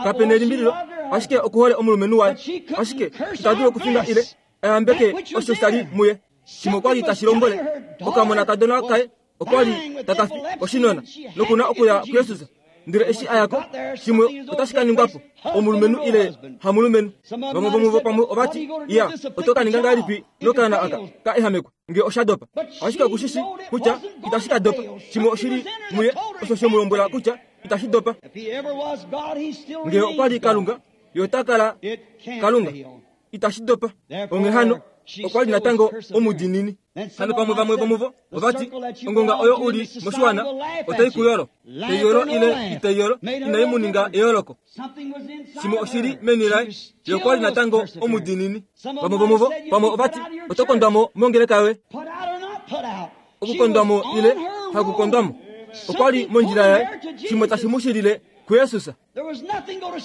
S1: Kape nelimbililo, ashike oku hole omulumenhu waye. Ashike ita dulu okufinga ile a yambeke osho sha li muye. Shimwe okwa li tashi lombwele okamonakadona kaye okwa li taka fi oshinona noku na okuya kuJesus. Ndele eshi a ya ko, shimwe otashi ka ningwa po, omulumenhu ile hamulumenhu. Vamwe vomuvo pamwe ova ti, Ya, oto ka ninga ngahelipi nokaana aka ka ehamekwa nge osha dopa? Ashike oku shi shii kutya itashi ka dopa. Shimwe oshi li muye osho she mu lombwela kutya itashi dopa. Nge okwa li Kalunga, ye ota kala Kalunga. Itashi dopa. Onghee hano, okwa li natango omudiinini. Hano pamwe vamwe vomuvo ova ti, Ongonga oyo u li moshiwana otai ku yolo. Tai yolo ile itai yolo, inai mu ninga eyooloko. Shimwe oshi li meni laye. Ye okwa li natango omudiinini. Vamwe vomuvo pamwe ova ti, Oto kondwa mo mongeleka yoye. Okukondwa mo ile hakukondwa mo. Okwa li mondjila yaye, shimwe tashi mu shilile kuJesus.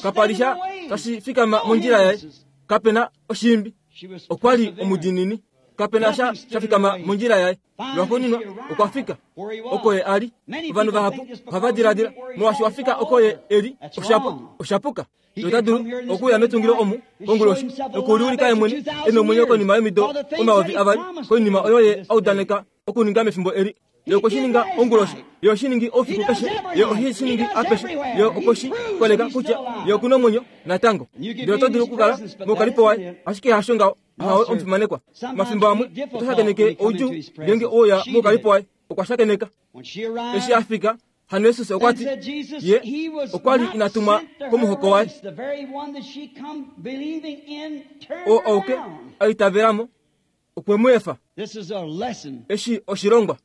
S1: Kapa li sha tashi fikama mondjila yaye. Kape na oshiimbi. Okwa li omudiinini. Kape na sha sha fikama mondjila yaye. Lwaxuuninwa okwa fika oko ye a li. Ovanhu vahapu ohava diladila molwaashi wa fika oko ye e li, osha puka. Ota dulu okuuya metungilo omu konguloshi nokuliulika ye mwene e nomwenyo konima yomido 2000 koinima oyo ye a udaneka okuninga mefimbo eli. Ye okwe shi ninga onguloshi, ye oshi ningi oufiku keshe, ye ohe shi ningi apeshe, ye okwe shi koleka kutya ye oku nomwenyo natango. Ndele oto dulu okukala moukalipo waye, ashike hasho ngaho. Ahawe omufimanekwa. Omafimbo amwe oto shakeneke oudjuu ngeenge ouya moukalipo waye. Okwa shakeneka. Eshi a fika, hano Jesus okwa ti ye okwa li ina tumwa komuhoko waye. Oo auke a itavela mo okwe mu efa. Eshi oshilongwa.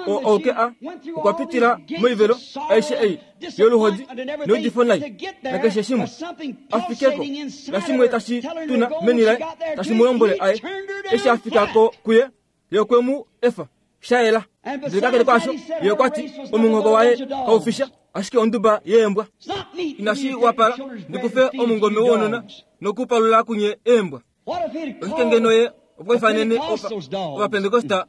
S1: Oo auke a okwa pitila moivelo aishe ei yoluhodi neudifo nai nakeshe shimwe a fike ko, nashimwe tashi tuna meni laye tashi mu lombwele aye. Eshi a fika ko kuye, ye okwe mu efa sha yela. Ndele kakele kwaasho, ye okwa ti omunghoko waye kau fi sha, ashike onduba yeembwa. Inashi wapala ndi kufe omungome wounona nokupalula kunye eembwa. Oshike ngeno ye okwa ifanene Ovapentekosta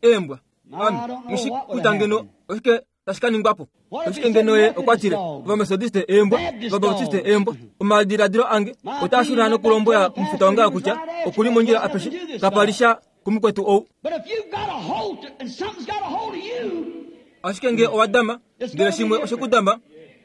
S1: eembwa? Ame nghi kutya ngeno oshike tashi ka ningwa po. Oshike ngeno ye okwa tile Ovametodiste eembwa, Ovabautiste eembwa? Omadiladilo ange otaa shuna nokulombwela omufita wange kutya oku li mondjila apeshe. Kapa li sha kumukwetu ou. Ashike nge owa dama, ndele shimwe oshe ku dama,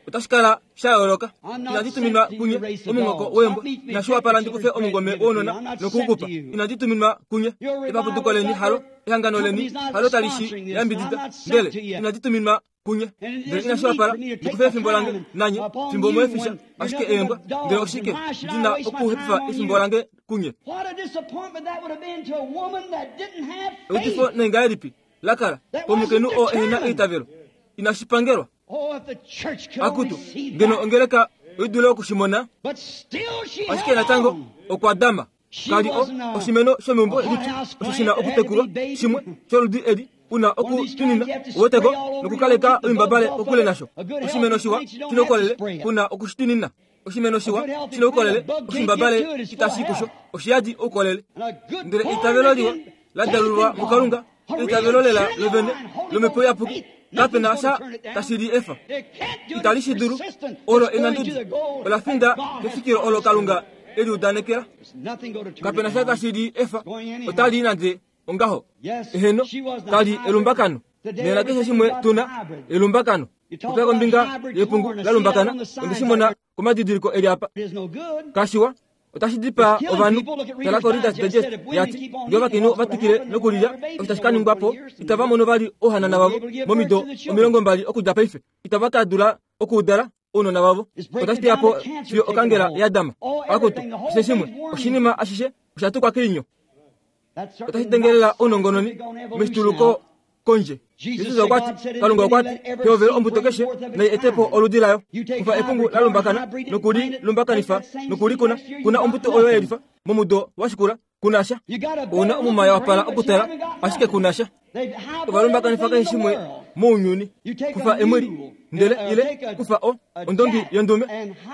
S1: otashi kala sha yooloka. Inandi tuminwa kunye omunghoko weembwa. Inashi wapala ndi kufe omungome wounona noku u ku pa. Inandi tuminwa kunye. Epapuduko leni halo, ehangano leni halo tali shi yambidida, ndele inandi tuminwa kunye. Ndele inashi wapala ndi kufe efimbo lange nanye fimbo mwe fi sha ashike eembwa. Ndele oshike ndi na okuhepifa efimbo lange kunye? Eudifo nengahelipi la kala komukainhu oo ehe na eitavelo? Inashi pangelwa. Akutu, ngeno ongeleka oi dule oku shi mona. Ashike natango okwa dama. Ka li o, oshimeno shomeumbo lipyu osho shi na okutekulwa, shimwe sholudi eli u na okutunina uweteko nokukaleka oimbabale kokule nasho. Oshimeno shiwa shi na oukolele ku na oku shi tunina. Oshimeno shiwa shi na oukolele, oshimbabale itashi kusho, oshiyadi oukolele. Ndele eitavelo liwa la dalulwa muKalunga, eitavelo lela lovene lOmhepo Iyapuki, kape na sha tashi li efa. Itali shi dulu. Olo enandudi. Ola finda kefikilo olo Kalunga e li udanekela. Kape na sha tashi li efa. Otali i nande ongaho. Eheno, kali elumbakano. Nena keshe shimwe tu na, elumbakano. Kupya kombinga yepungu la lumbakana, onde shi mona komadidiliko e li apa. Kashiwa, otashi dipaa ovanhu. Tala koReader's Digest ya ti, Ngee ovakainhu ova twikile nokulilya osho tashi ka ningwa po, itava mono vali ouhanana vavo momido 20 okudja paife. Itava ka dula okuudala ounona vavo. Otashi teya po fiyo okangela ya dama. Akutu, keshe shimwe, oshinima ashishe osha tukwa keinyo. Otashi dengelela ounongononi meshituluko. kondje. Jesus okwa ti, Kalunga okwa ti, Pehovelo ombuto keshe nai ete po oludi layo. Kufa epungu la lumbakana noku li lumbakanifa noku li kuna, kuna ombuto oyo ye lifa momudo wa shikula, kuna sha. Ou na omuma ya wapala okutala, ashike kuna sha. Ova lumbakanifa keshe shimwe mounyuni. Kufa emwili, ndele ile kufa o, ondongi yondume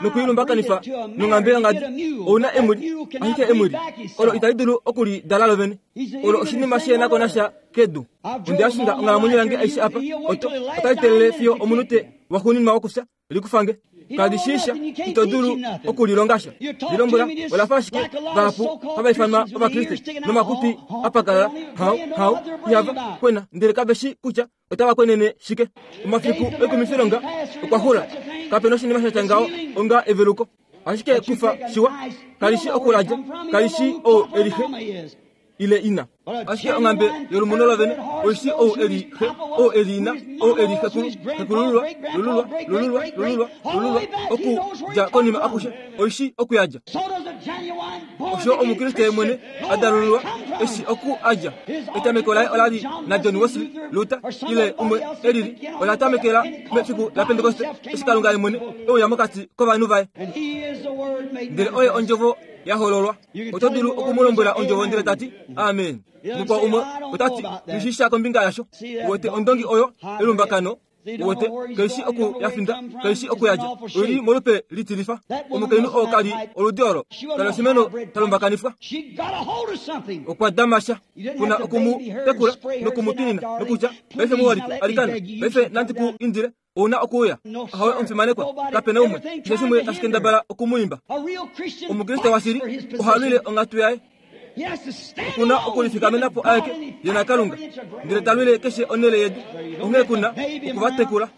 S1: noku i lumbakanifa nonghambe yongadi. Ou na emwili, ashike emwili olo itali dulu oku li dala lovene. Olo oshinima shi na ko nasha kedu. Onde ya shinga onghalamwenyo yange aishe apa. Oto, otali telele fiyo omunute waxuuninwa wokufya likufange. Kali shii sha, ito dulu oku lilonga sha. Lilombwela, ola fa ashike vahapu hava ifanwa Ovakriste nomakutwi a pakalala, hau, hau, ihava kwena, ndele kave shii kutya otava kwenene shike. Omafiku oikumifilonga okwa xula. Kape noshinima sha tya ngaho onga eveluko. Ashike kufa shiwa, kali shi okuladja, kali shi ou e li xe ile ina. Ashike onghambe yolumuno lovene oi shi ou e li xe, ou e li ina, ou e li xekulu, xekulululwa, lululwa, lululwa, lululwa, lululwa, okudja konima akushe, oi shi okuyadja. Osho Omukriste ye mwene a dalululwa eshi oku a dja. Etameko laye ola li naJohn Wesley, Luther, ile umwe e lili. Ola tamekela mefiku laPentekoste eshi Kalunga ye mwene e uya mokati kovanhu vaye. Ndele oye Ondjovo ya hololwa. Oto dulu oku mu lombwela Ondjovo ndele ta ti, Amen. Mukwao umwe ota ti, Nghi shii sha kombinga yasho. Uwete ondongi oyo elumbakano Uwete, kai shi oku ya finda, kai shi oku ya dja. Oi li molupe litilifa. Omukainhu oo ka li oludi olo. Ka li oshimeno sha lumbakanifwa. Okwa dama sha. Ku na oku mu tekula noku mu twinina, nokutya, Paife muholike, alikana, paife nandi ku indile, ou na okuuya. Ahowe, omufimanekwa, kape na umwe, keshe shimwe tashi kendabala oku mu imba. Omukriste washili oha lwile onghatu yaye. Oku na okulifikamena po aeke ye naKalunga, ndele ta lwile keshe onhele yedu. Onghee ku na oku va tekula.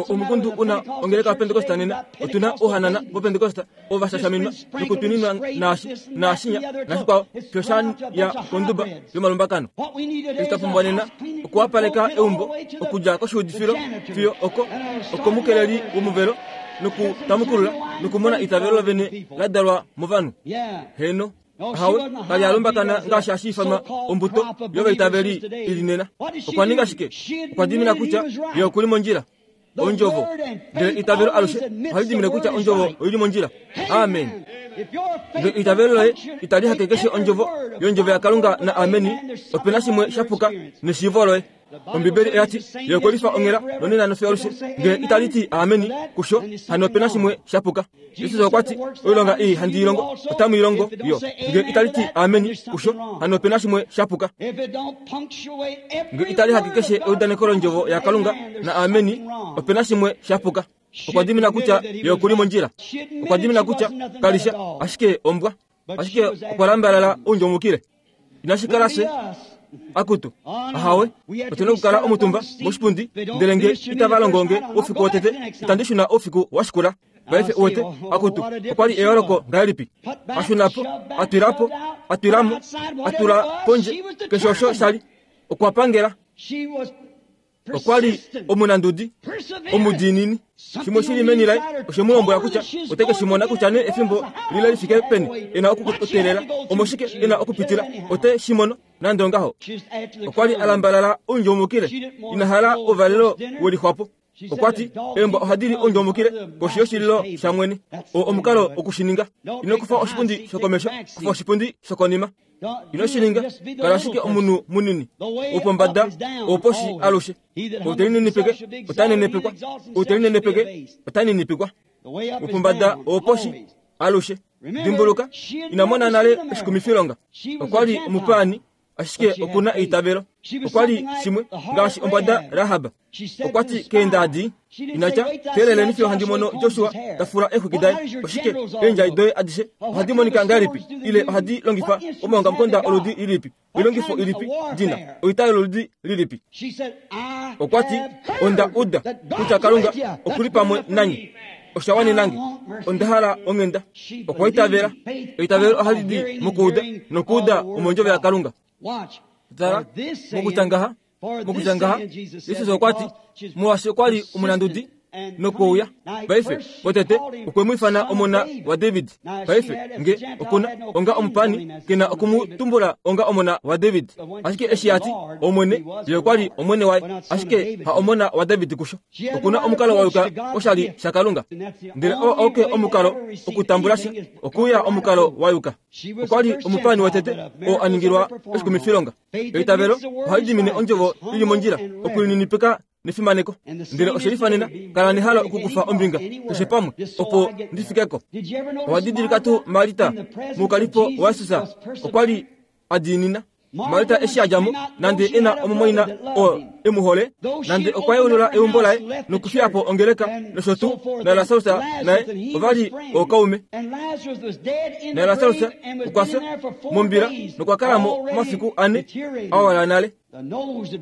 S1: Omukundu u na ongeleka yaPentekosta nena. Otu na ouhanana voPentekosta ovo va shashaminwa nokutwininwa naashi, naashinya, nashikwao, fiyo sha ya konduba yomalumbakano. Eshi twa pumbwa nena okuwapaleka eumbo okudja koshiudifilo fiyo oko, okomukeleli womuvelo, nokutamukulula nokumona eitavelo lovene la dalwa movanhu. Heeno. Ahawe, ka li a lumbakana ngaashi hashi ifanwa ombuto yovaitaveli i li nena. Okwa ninga shike? Okwa dimina kutya ye oku li mondjila. Ondjovo. Ndele eitavelo alushe ohali dimine kutya ondjovo oi li mondjila. Amen. Ndele eitavelo loye itali hake keshe ondjovo yondjovo yaKalunga na ameni, ope na shimwe sha puka neshiivo loye. Ombibeli oya ti, Ye okwe lifa onghela nonena nofiyo alushe. Ngele itali ti ameni kusho, hano ope na shimwe sha puka. Jesus okwa ti, Oilonga ei handi i longo, otamu i longo yo. Ngele itali ti ameni kusho, hano ope na shimwe sha puka. Ngele itali hake keshe eudaneko londjovo yaKalunga na ameni, ope na shimwe sha puka. Okwa dimina kutya ye oku li mondjila. Okwa dimina kutya kali sha ashike ombwa, ashike okwa lambalala oundjomukile. Inashi kala fye akutu ahawe otu na okukala omutumba moshipundi ndele nge itava longo nge oufiku wotete itandi shuna oufiku wa shikula paife uwete akutu okwa li eyooloko ngahelipi a shuna po a twila po a twila mo a tula pondje keshe osho sha li okwa pangela Okwa li omunandudi, omudiinini. Shimwe shi li meni laye oshe mu lombwela kutya ote ke shi mona kutya nee efimbo lile li fike peni e na okuteelela, omoshike e na okupitila, ote shi mono nande ongaho. Okwa li a lambalala oundjomukile, ina hala ouvalelo we lixwapo. Okwa ti, Eembwa ohadi li oundjomukile koshi yoshililo shamwene. Oo omukalo woku shi ninga. Ino kufa oshipundi shokomesho, kufa oshipundi shokonima. Ino shi ninga, kala ashike omunhu munini, wopombada, woposhi alushe. Ou te linenepeke, ota nenepekwa. Ou te linenepeke, ota ninipikwa. Wopombada, woposhi alushe. Dimbuluka, ina mona nale oshikumifilonga. Okwa li omupaani, ashike oku na eitavelo. Okwa li shimwe ngaashi ombwada Rahab. Okwa ti keendaadi, Ina tya, Teeleleni fiyo handi mono Josua ta fula eexwiki daye. Oshike, eendjai doye adishe ohadi monika ngahelipi, ile ohadi longifa omaongamukonda oludi lilipi, oilongifo ilipi di na, oita yoludi lilipi? Okwa ti, Onda uda kutya Kalunga oku li pamwe nanye. Osha wanena nge. Onda hala onghenda. Okwa itavela. Eitavelo ohali di mokuuda, nokuuda omondjovo yaKalunga. Tala, mokutya ngaha, mokutya ngaha, Jesus okwa ti, molwaashi okwa li omunandudi. Nokuuya paife, potete okwe mu ifana omona waDavid. Paife, nge okuna onga omupani, ke na oku mu tumbula onga omona waDavid. Ashike eshi a ti, Omwene, ye okwa li Omwene waye, ashike ha omona waDavid kusho. Okuna omukalo wa yuka oshali shaKalunga. Ndele oo auke omukalo okutambula sha, okuuya omukalo wa yuka. Okwa li omupani wotete oo a ningilwa oshikumifilonga. Eitavelo ohali dimine ondjovo i li mondjila, okulininipika nefimaneko. Ndele oshe lifanena, kala nehalo okukufa ombinga keshe pamwe opo ndi fike ko. Owa didilika tuu Marita moukalipo waJesus okwa li a diinina? Marita eshi a dja mo, nande e na omumwaina oo e mu hole, nande okwa yeulula eumbo laye nokufiya po ongeleka nosho tuu, naLasarus naye ova li ookaume. NaLasarus okwa fya mombila nokwa kala mo omafiku ane a wala nale.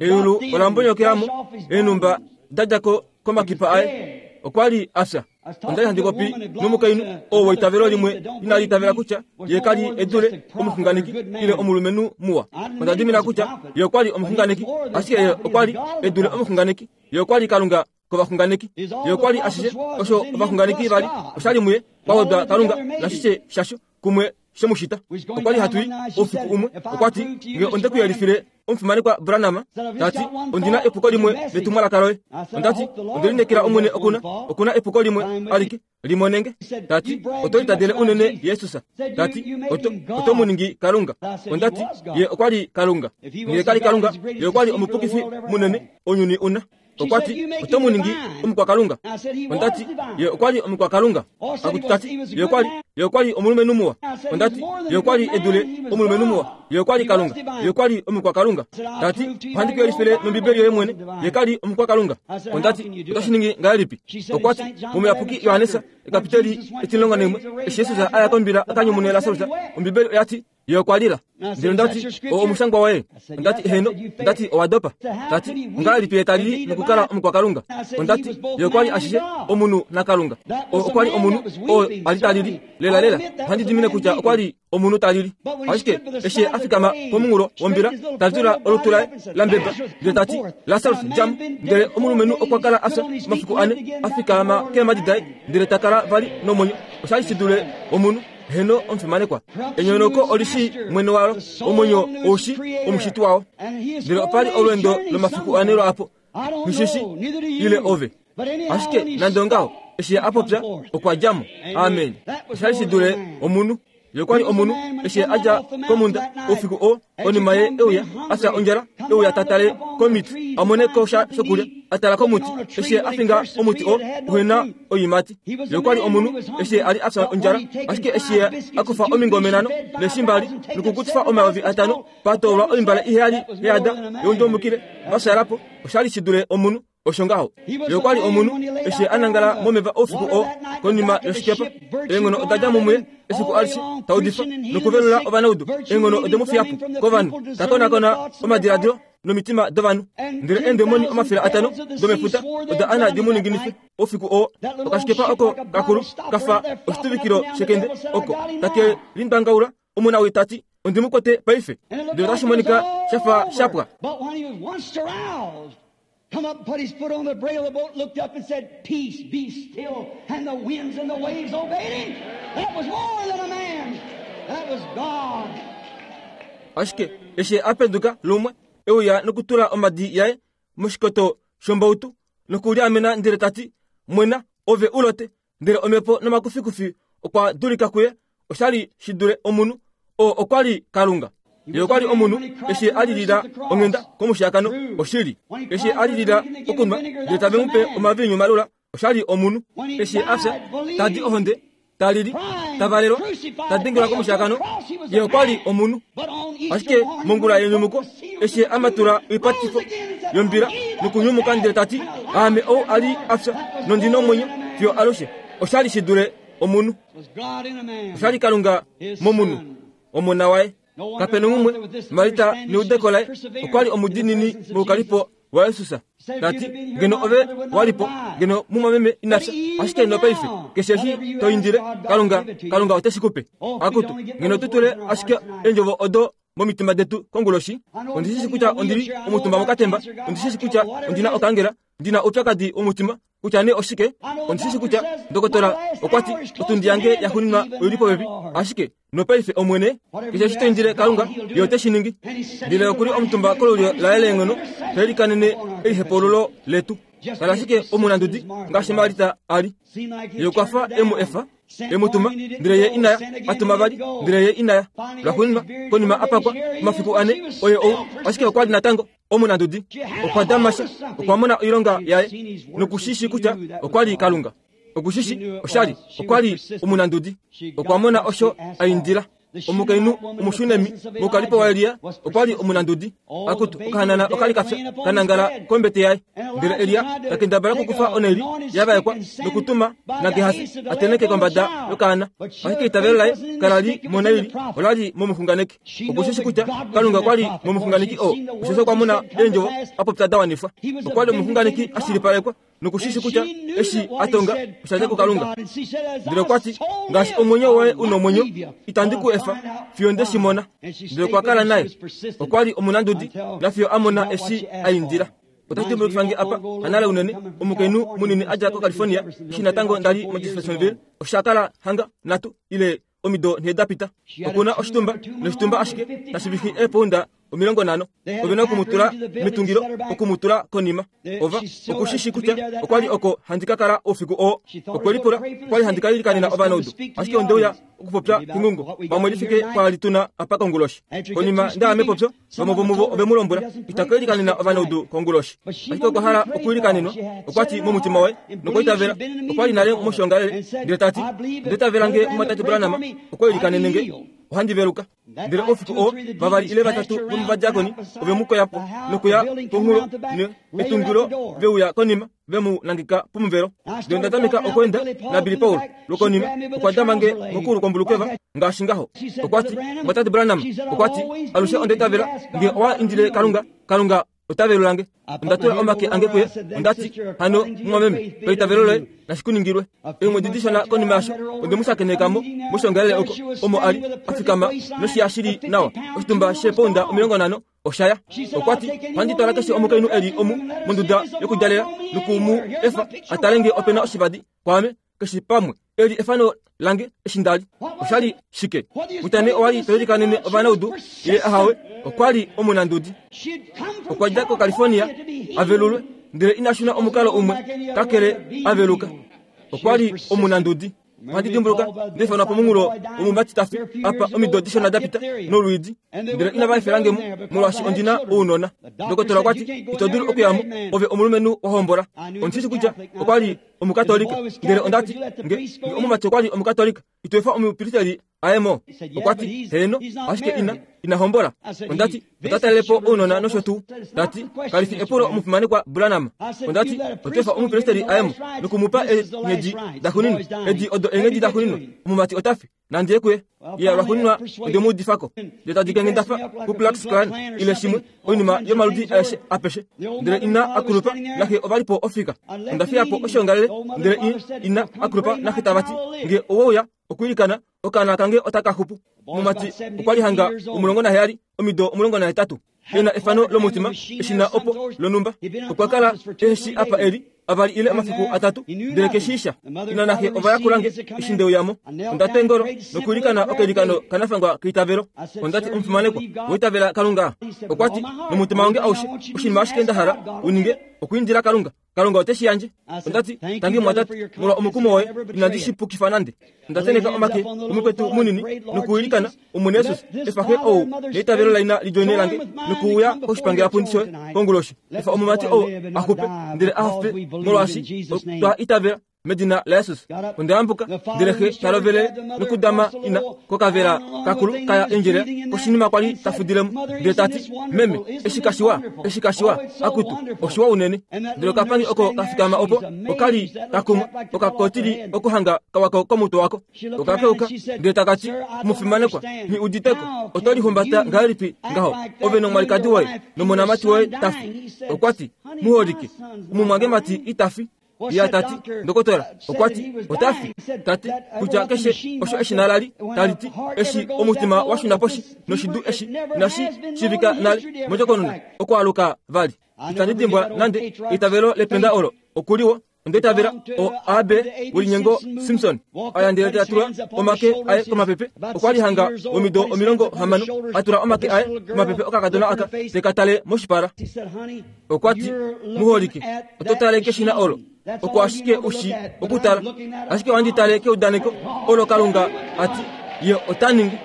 S1: Eyulu ola mbonyokelamo eenhumba da dja ko komakipa aye. Okwa li a fya. Onda li handi popi nomukainhu oo weitavelo limwe inali itavela kutya ye ka li e dule omuxunganeki ile omulumenhu muwa. Onda dimina kutya ye okwa li omuxunganeki, ashike ye okwa li e dule omuxunganeki. Ye okwa li Kalunga kovaxunganeki. Ye okwa li ashishe osho ovaxunganeki va li, osha li muye, kwa wedwa Kalunga nashishe shasho kumwe she mu shita. Okwa li hatu i oufiku umwe, okwa ti, Nge onde ku yelifile omufimanekwa Branham, ta ti, ondi na epuko limwe letumwalaka loye. Onda ti, Onde lineekela Omwene oku na, oku na epuko limwe alike, limonenge. Ta ti, Oto litadele unene Jesus. Ta ti, Oto, oto mu ningi Kalunga. Onda ti, Ye okwa li Kalunga. Nge ka li Kalunga, Ye okwa li omupukifi munene ounyuni u na. Okwa ti, Oto mu ningi omukwakalunga. Onda ti, Ye okwa li omukwakalunga. Akutu ta ti, Ye okwa li, Ye okwa li omulumenhu muwa. Onda ti, Ye okwa li e dule omulumenhu muwa. Ye okwa li Kalunga. Ye okwa li omukwakalunga. Ta ti, Ohandi ku yelifile nOmbibeli yoye mwene. Ye ka li omukwakalunga. Onda ti, Oto shi ningi ngahelipi? Okwa ti, Momuyapuki Johannes, ekapiteli etimulongo naimwe, eshi Jesus a ya kombila a ka nyumune Lasarus, Ombibeli oya ti, Ye okwa lila. Ndele onda ti, O omushangwa woye? Onda ti, Heeno. Onda ti, Owa dopa. Ta ti, Ongahelipi ye ta lili nokukala omukwakalunga? Onda ti, Ye okwa li ashishe omunhu naKalunga. O okwa li omunhu oo a li ta lili. Lelalela, ohandi dimine kutya okwa li omunhu ta lili. Ashike eshi ye a fikama pomunghulo wombila, ta vyula olutu laye la mbeba, ndele ta ti, Lasarus, dja mo! Ndele omulumenhu okwa kala a fya omafiku ane, a fikama keemhadi daye, ndele ta kala vali nomwenyo. Osha li shi dule omunhu. Heno omufimanekwa, enyonauko oli shii mwene walo, omwenyo ou shii omushiti wao. Ndele opa li olweendo lomafiku ane lwaapo, nghi shi ile ove. Ashike nande ongaho, eshi ye a popya, okwa dja mo. Amen. Osha li shi dule omunhu. Ye okwa li omunhu, eshi ye a dja komhunda oufiku oo, Konima ye e uya, a fya ondjala, e uya ta tale komiti, a mone ko sha shokulya. A tala komuti, eshi a finga omuti oo uhe na oiimati. Ye okwa li omunhu, eshi a li a fya ondjala. Ashike eshi ye a kufa omingome nhano neeshi mbali nokukutifa 5000, pa toolwa oimbale iheyali ya yada youndjomukile va fyaala po, osha li shi dule omunhu. Osho ngaho, ye okwa li omunhu eshi a nangala momeva oufiku oo konima yoshikepa. Eenghono oda dja mo muye efiku alishe, ta udifa nokuvelula ovanaudu. Eenghono ode mu fiya po kovanhu, ta konakona omadiladilo nomitima dovanhu. Ndele eendemoni 500 domefuta oda ana di mu ninginife oufiku oo. Okashikepa oko kakulu ka fa oshituvikilo shekende oko take lindwangaula Omunawii ta ti, Ondi mu kwete paife. Ndele otashi monika sha fa sha pwa.
S2: Come up and put his foot on the brail of the boat, looked up and said, Peace, be still. And the winds and the waves obeyed him. That was more than a man. That was God.
S1: Ashike eshi a penduka lumwe, e uya nokutula omadi yaye moshikoto shombautu nokuliamena ndele ta ti, Mwena, ove u lote. Ndele omhepo nomakufikufi okwa dulika kuye. Osha li shi dule omunhu. Oo okwa li Kalunga. Ye okwa li omunhu eshi a lilila onghenda komushiyakano. Oshili. Eshi a lilila okunwa, ndele tave mu pe omaviinyu malula, osha li omunhu. Eshi a fya, ta di ohonde, ta lili, ta valelwa, ta dengelwa komushiyakano, ye okwa li omunhu. Ashike mongula yenyumuko, eshi a matula oipatifo yombila nokunyumuka ndele ta ti, Aame ou a li a fya nondi nomwenyo fiyo alushe, osha li shi dule omunhu. Osha li Kalunga momunhu, Omona waye. Kape na umwe, Marita neudeko laye, okwa li omudiinini moukalipo waJesus, ta ti, Ngeno ove wa li po, ngeno mumwameme ina fya. Ashike nopaife, keshe eshi to indile Kalunga, Kalunga ote shi ku pe. Akutu, ngeno tu tule ashike eendjovo odo momitima detu konguloshi. Ondi shi shi kutya ondi li omutumba mokatemba. Ondi shi shi kutya ondi na okangela, ndi na oupyakadi womutima. Kutya nee oshike, ondi shi shi kutya ndokotola okwa ti otundi yange ya xuninwa oi li popepi, ashike nopaife Omwene, keshe eshi to indile Kalunga, Ye ote shi ningi. Ndele oku li omutumba kolulyo laye leenghono, ta ilikanene elihepaululo letu. Kala ashike omunandudi ngaashi Marita a li. Ye okwa fa e mu efa, e mu tuma, ndele ye ina ya, a tuma vali, ndele ye ina ya. Lwaxuuninwa, konima a pakwa, omafiku ane, oye ou, ashike okwa li natango omunandudi. Okwa dama sha, okwa mona oilonga yaye, noku shi shii kutya okwa li Kalunga. Oku shi shii, osha li, okwa li omunandudi. Okwa mona osho a indila. Omukainhu Omushunemi moukalipo waElia okwa li omunandudi. Akutu, okahanana oka li ka fya, ka nangala kombete yaye. Ndele Elia ta kendabala okukufa oneli ya vaekwa nokutuma naGehasi a tenheke kombada yokaana. Ashike eitavelo laye kala li monaili, ola li momuxunganeki. Oku shi shi kutya Kalunga okwa li momuxunganeki oo, osheshi okwa mona eendjovo a popya da wanifwa. Okwa li omuxunganeki a shilipalekwa noku shi shi kutya eshi a tonga osha dja kuKalunga. Ndele okwa ti, Ngaashi omwenyo woye u nomwenyo, itandi ku efa fiyo nde shi mona. Ndele okwa kala naye. Okwa li omunandudi nafiyo a mona eshi a indila. Otashi dimbulukifa nge apa, hanale unene, omukainhu munini a dja koCalifornia, eshi natango nda li moJeffersonville, osha kala hanga nhatu ile omido nhee da pita. Oku na oshitumba noshitumba ashike tashi vihi eepounda 50. Ove na oku mu tula metungilo, oku mu tula konima. Ova, oku shi shi kutya okwa li oko handi ka kala oufiku oo. Okwe lipula, okwa li handi ka ilikanena ovanaudu, ashike onde uya okupopya kengungo pamwe li fike kwaali tu na apa konguloshi. Konima nda ya mepopyo, vamwe vomuvo ove mu lombwela, Ita ka ilikanena ovanaudu konguloshi. Ashike okwa hala okwiilikanenwa, okwa ti momutima waye, nokwa itavela. Okwa li nale moshiongalele, ndele ta ti, Onda itavela nge Mumwatate Branham okwa ilikanene nge, ohandi veluka. Ndele oufiku oo, vavali ile vatatu vomovadiakoni ove mu koya po nokuya ponhulo netungilo ve uya konima ve mu nangeka pomuvelo. Ndele onda tameka okweenda naBilly Paul. Lwokonima okwa dama nge mokulu kombulukeva ngaashi ngaho. Okwa ti, Mwatate Branham, okwa ti, alushe onda itavela nge owa indile Kalunga, Kalunga ota velula nge. Onda tula omake ange kuye, onda ti, Hano, mumwameme, paitavelo loye, nashi ku ningilwe. Eemwedi dishona konima yasho, onde mu shakeneka mo, moshongalele oko, omo a li, a fikama noshiya shi li nawa, oshitumba sheepounda 50 osha ya. Okwa ti, Ohandi twala keshe omukainhu e li omu monduda yokudalela noku mu efa a tale nge ope na oshivadi kwaame keshe pamwe. Eli efano lange eshi nda li. Osha li shike? Kutya nee owa li to ilikanene ovanaudu ile ahawe, okwa li omunandudi. Okwa dja koCalifornia a velulwe, ndele ina shuna omukalo umwe kakele a veluka. Okwa li omunandudi. Ohandi dimbuluka nda ifanwa pomunghulo womumati ta fi apa omido dishona da pita nolwiidi, ndele inava efela nge mo molwaashi ondi na ounona. Ndokotola okwa ti, Ito dulu okuya mo, ove omulumenhu wa hombola. Ondi shi shi kutya okwa li Omukatolika. Ndele onda ti, Nge, nge omumati okwa li Omukatolika, ito efa omupristeli a ye mo? Okwa ti, Heeno, ashike ina, ina hombola. Onda ti, Ota talele po ounona nosho tuu. Ta ti, Kali fi epulo omufimanekwa Branham. Onda ti, Oto efa omupristeli a ye mo noku mu pa eenghedi daxuuninwa. Edi odo eenghedi daxuuninwa. Omumati ota fi. Nandi ye kuye. Ye lwaxuuninwa onde mu udifa ko. Ndele ta dike nge nda fa Ku Klux Klan ile shimwe, oinima yomaludi aeshe apeshe. Ndele ina a kulupa naxe ova li po ofika. Onda fiya po oshiongalele, ndele i, ina a kulupa naxe tava ti, Nge owe uya okwiilikana, okaana kange otaka xupu. Omumati okwa li hanga 17, omido 18. E na efano lomutima, eshina opo lonhumba. Okwa kala ehe shii apa e li, avali ile omafiku atatu, ndele ke shii sha. Ina naxe ova yakula nge eshi nde uya mo. Onda twa eengolo nokwiilikana okailikano kanafangwa keitavelo. Onda ti, Omufimanekwa, owa itavela Kalunga? Okwa ti, Nomutima wange aushe, oshinima ashike nda hala u ninge, okwiindila Kalunga. Kalunga ote shi yandje. Onda ti, Tangi mumwatate, molwa omukumo woye, inandi shi pukifa nande. Onda tenheka omake komukwetu munini nokuilikana, Omwene Jesus, efa xe ou neitavelo laina li djoine lange nokuuya koshipangelapundi shoye konguloshi. Efa omumati ou a xupe, ndele a hafe, molwaashi otwa itavela Medina laJesus. Onda yambuka, ndele xe ta lovele nokudama ina kokavela kakulu kaya endjelela koshinima kwa li ta fudile mo, ndele ta ti, Meme, eshi kashiwa, eshi kashiwa, akutu, oshiwa unene. Ndele okapangi oko ka fikama opo, oka li ka kumwa, okakotili okuhanga kawako komutwe wako. Oka keuka, ndele taka ti, Mufimanekwa, nghi udite ko, oto lihumbata ngahelipi ngaho, ove nomwalikadi woye nomonamati woye ta fi? Okwa ti, Muholike, omumwangemati ita fi. Ye ta ti, Ndokotola okwa ti, ota fi. Ta ti kutya keshe osho eshina la li tali ti, eshi omutima wa shuna poshi noshidu eshi inashi shiivika nale mondjokonona, okwaaluka vali. Itandi dimbwa nande eitavelo lependa olo. Oku li wo. Onda itavela o AB welinyengo Simpson a ya ndele ta tula omake aye komapepe. Okwa li hanga womido 60 a tula omake aye komapepe okakadona aka te ka tale moshipala. Okwa ti, Muholike, oto tale keshina olo. Oko ashike u shi okutala. Ashike ohandi tale keudaneko olo Kalunga a ti Ye ota ningi.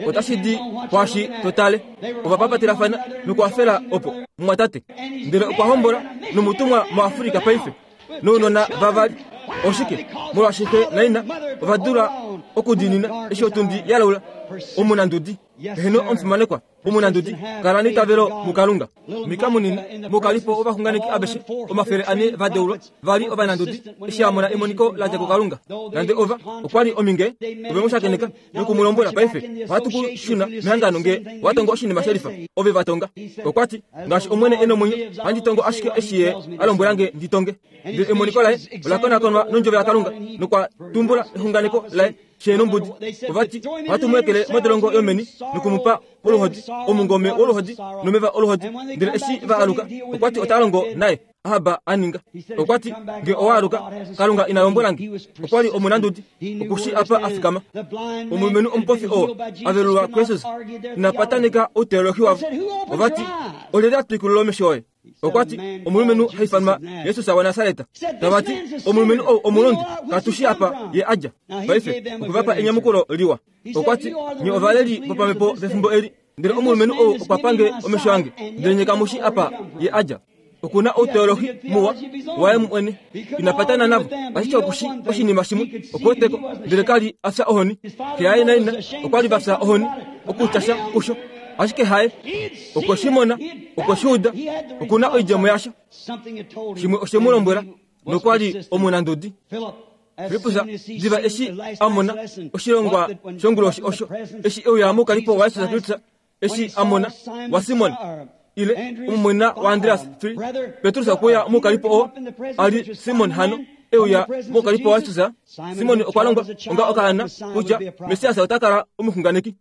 S1: Otashi di kwaashi to tale. Ova papatelafana nokuhafela opo, mumwatate. Ndele okwa hombola nomutumwa moAfrika paife, nounona vavali. Oshike? Molwaashi xe naina ova dula okudiinina eshi otundi ya laula. Omunandudi. Heeno, omufimanekwa. Omunandudi, kala neitavelo muKalunga. Mika munini, moukalifo wovaxunganeki aveshe 400 va deulwa, va li ovanandudi, eshi a mona emoniko la dja kuKalunga. Nande ova, okwa li ominge, ove mu shakeneka noku mu lombwela, Paife, ohatu ku shuna mehangano nge wa tongo oshinima shelifa. Ove va tonga. Okwa ti, Ngaashi Omwene e nomwenyo, ohandi tongo ashike eshi Ye a lombwela nge ndi tonge. Ndele emoniko laye ola konakonwa nOndjovo yaKalunga, nokwa tumbula exunganeko laye. Xe nombudi ova ti, Ohatu mu ekele modolongo yomeni noku mu pa oluhodi, omungome woluhodi nomeva oluhodi. Ndele eshi va aluka, okwa ti ota longo naye. Ahab a ninga. Okwa ti, Nge owa aluka, Kalunga ina lombwela nge. Okwa li omunandudi, oku shi apa a fikama. Omulumenhu omupofi oo a velulwa kuJesus ina pataneka outeolohi wavo. Ova ti, Olyelye a twikulula omesho oye? Okwa ti, Omulumenhu ha ifanwa Jesus waNasaret. Tava ti, Omulumenhu ou omulondi, katu shi apa ye a dja. Paife, okwe va pa enyamukulo liwa. Okwa ti, Nye ovaleli vopamhepo vefimbo eli, ndele omulumenhu ou okwa pa nge omesho ange, ndele nye kamu shi apa ye a dja. Oku na outeolohi muwa waye mwene. Ina patana navo, ashike oku shi oshinima shimwe, oku wete ko, ndele ka li a fya ohoni. Xe yaye naina okwa li va fya ohoni okutya sha kusho. Ashike haye okwe shi mona, okwe shi uda, oku na oidjemo yasho. Shimwe oshe mu lombwela, nokwa li omunandudi. Filippus diva eshi a mona oshilongwa shonguloshi osho, eshi e uya moukalipo waJesus Kristus, eshi a mona waSimon ile omumwaina waAndreas, Petrus okwe uya moukalipo oo a li Simon hano e uya moukalipo waJesus. Simon okwa longwa onga okaana kutya Messias ota kala omuxunganeki.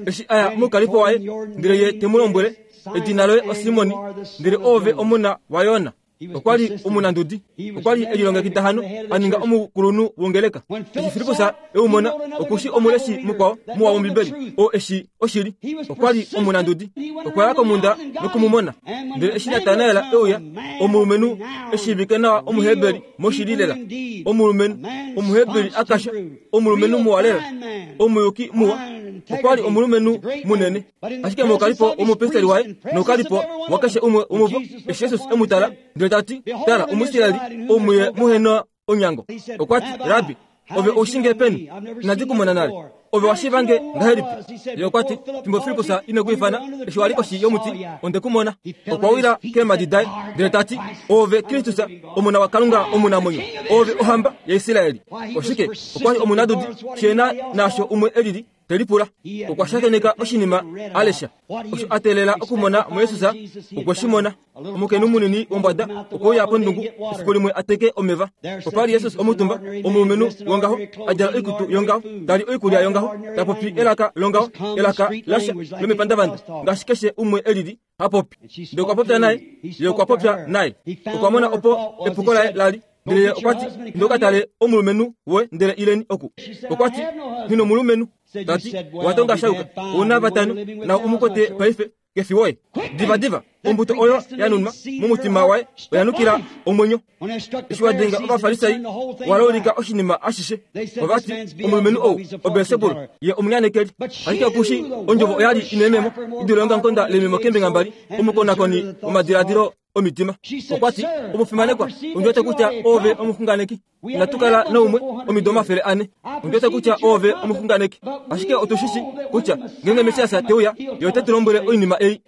S1: Eshi a ya moukalipo waye, ndele ye te mu lombwele, Edina loye oSimon, ndele oove omona waYona. Okwa li omunandudi. Okwa li e lilongekida hano a ninga omukulunhu wongeleka. Eshi Filippus e u mona, oku shi omuleshi mukwao muwa wOmbibeli, oo e shi oshili. Okwa li omunandudi. Okwa ya komhunda noku mu mona. Ndele eshi Natanael e uya, omulumenhu e shiivike nawa Omuheberi moshili lela, omulumenhu Omuheberi a kasha, omulumenhu muwa lela, omuyuki muwa, okwa li omulumenhu munene. Ashike moukalipo womupristeri waye noukalipo wakeshe umwe womuvo, eshi Jesus e mu tala, ndele ta ti, Tala, Omuisraeli, ou muye muhe na onyango. Okwa ti, Rabbi, ove ou shi nge peni? Inandi ku mona nale. Ove wa shiiva nge ngahelipi? Ye okwa ti, Fimbo Filippus ine ku ifana, eshi wa li koshi yomuti, onde ku mona. Okwa wila keemhadi daye, ndele ta ti, Oove Kristus, Omona waKalunga omunamwenyo, oove ohamba yaIsraeli. Oshike? Okwa li omunadudi, she na naasho umwe e lili. te lipula. Okwa shakeneka oshinima a lesha. Osho a teelela okumona muJesus, okwe shi mona. Omukainhu munini wombwada okwe uya pondungu efiku limwe a teke omeva. Opa li Jesus omutumba, omulumenhu wongaho, a djala oikutu yongaho, ta li oikulya yongaho, ta popi elaka longaho, elaka lasha lomepandavanda, ngaashi keshe umwe e lili ha popi. Ndele okwa popya naye, ye okwa popya naye. Okwa mona opo epuko laye la li. Ndele ye okwa ti, Inda u ka tale omulumenhu woye, ndele ileni oku. Okwa ti, Nghi nomulumenhu. Ta ti, Owa tonga sha yuka. Ou na vatano, nau u mu kwete paife, ke fi woye. Divadiva, ombuto oyo ya nunwa momutima waye oya nukila omwenyo. Eshi wa denga Ovafarisai, wa laulika oshinima ashishe. Ova ti, Omulumenhu ou oBelsebul, ye omunyanekeli. Ashike oku shi ondjovo oya li inememo, i dule ongankonda lememo keembinga mbali, omukonakoni womadiladilo omitima. Okwa ti, Omufimanekwa, ondi wete kutya oove omuxunganeki. Inatu kala naumwe omido 400. Ondi wete kutya oove omuxunganeki. Ashike otu shi shi kutya ngeenge Messias te uya, ye ote tu lombwele oinima ei.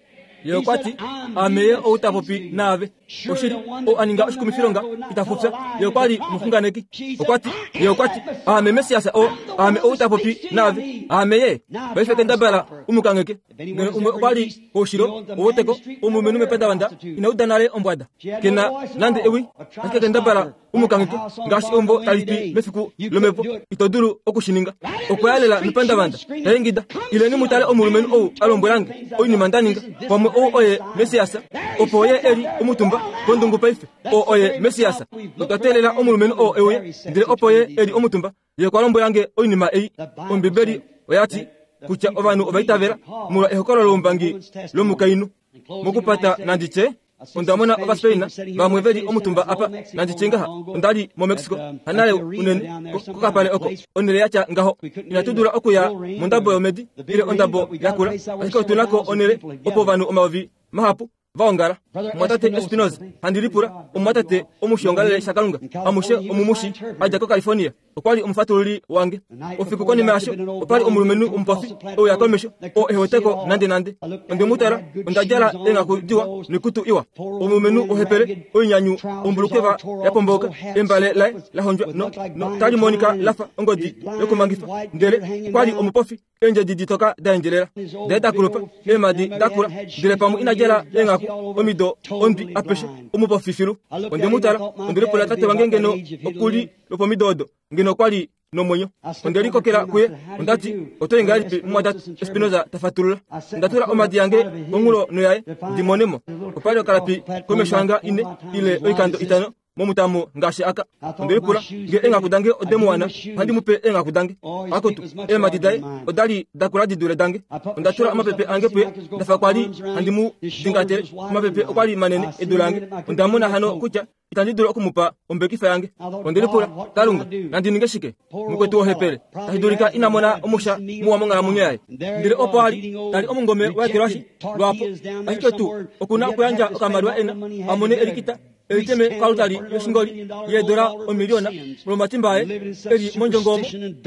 S1: Ye okwa ti, Aame ye ou ta popi naave. Oshili, ou a ninga oshikumifilonga ita fufya. Ye okwa li omuxunganeki. Okwa ti, Ye okwa ti, Aame Messias oo, aame ou ta popi naave. Aame ye. Paife kendabala u mu kangheke. Ngeno umwe okwa li koushilo oweteko, omulumenhu mepandavanda ina uda nale ombwada. Ke na nande ewi, ashike kendabala. U mu kangheke ngaashi eumbo tali pi mefiku lomhepo. Ito dulu oku shi ninga. Okwa ya lela mepandavanda, ta ingida, Ileni mu tale omulumenhu ou a lombwela nge oinima nda ninga. Pamwe ou oye Messias. Opo ye e li omutumba kondungu paife. Oo oye Messias. Otwa teelela omulumenhu oo e uye, ndele opo ye e li omutumba. Ye okwa lombwela nge oinima ei. Ombibeli oya ti kutya ovanhu ova itavela molwa ehokololo loumbangi lomukainhu. Mokupata nandi tye, onda mona Ovaspain vamwe ve li omutumba apa, nandi tye ngaha, onda li moMexico hanale unene, kokapale oko, onhele ya tya ngaho. Inatu dula okuya mondabo yomedi ile ondabo yakula, ashike otu na ko onhele opo ovanhu omayovi mahapu va ongala. Omumwatate Espinoza, handi lipula, omumwatate omushiongalele shaKalunga, amushe omumushi, a dja koCalifornia, okwa li omufatululi wange. Ofiku konima yasho, opa li omulumenhu omupofi e uya komesho, oo ehe wete ko nandenande. Onde mu tala, onda djala eenghaku diwa noikutu iwa. Omulumenhu ohepele, oinyanyu, ombulukweva ya pombouka, embale laye la hondjwa no, no tali monika la fa ongodi yokumangifa, ndele okwa li omupofi. Eendjedi ditoka da endjelela, daye da kulupa, eemhadi da kula, ndele pamwe ina djala eenghaku omido ondwi apeshe, omupofi filu. Onde mu tala, onde lipula tate wange ngeno oku li lwopomido odo, ngeno okwa li nomwenyo. Onde likokela kuye, onda ti, Oto i ngahelipi, mumwatate Espinoza ta fatulula. Onda tula omhadi yange konhulo noyaye, ndi mone mo. Opa li okalapi komesho hanga ine ile oikando itano momutamo ngaashi aka. Onde lipula nge eenghaku dange ode mu wana, ohandi mu pe eenghaku dange. Akutu, eemhadi daye oda li da kula di dule dange. Onda tula omapepe ange puye, nda fa kwa li handi mu dingatele. Omapepe okwa li manene e dule ange. Onda mona hano kutya itandi dulu oku mu pa ombekifa yange. Onde lipula, Kalunga, nandi ninge shike? Mukwetu wohepele, tashi dulika ina mona omusha muwa monghalamwenyo yaye. Ndele opo a li, ta li omungome wa ekelwashi lwaapo, ashike tuu oku na okuyandja okamaliwa e na, a mone elikita eliteme koaltari yoshingoli yeedola omiliona molwomatimba aye e li mondjongo omo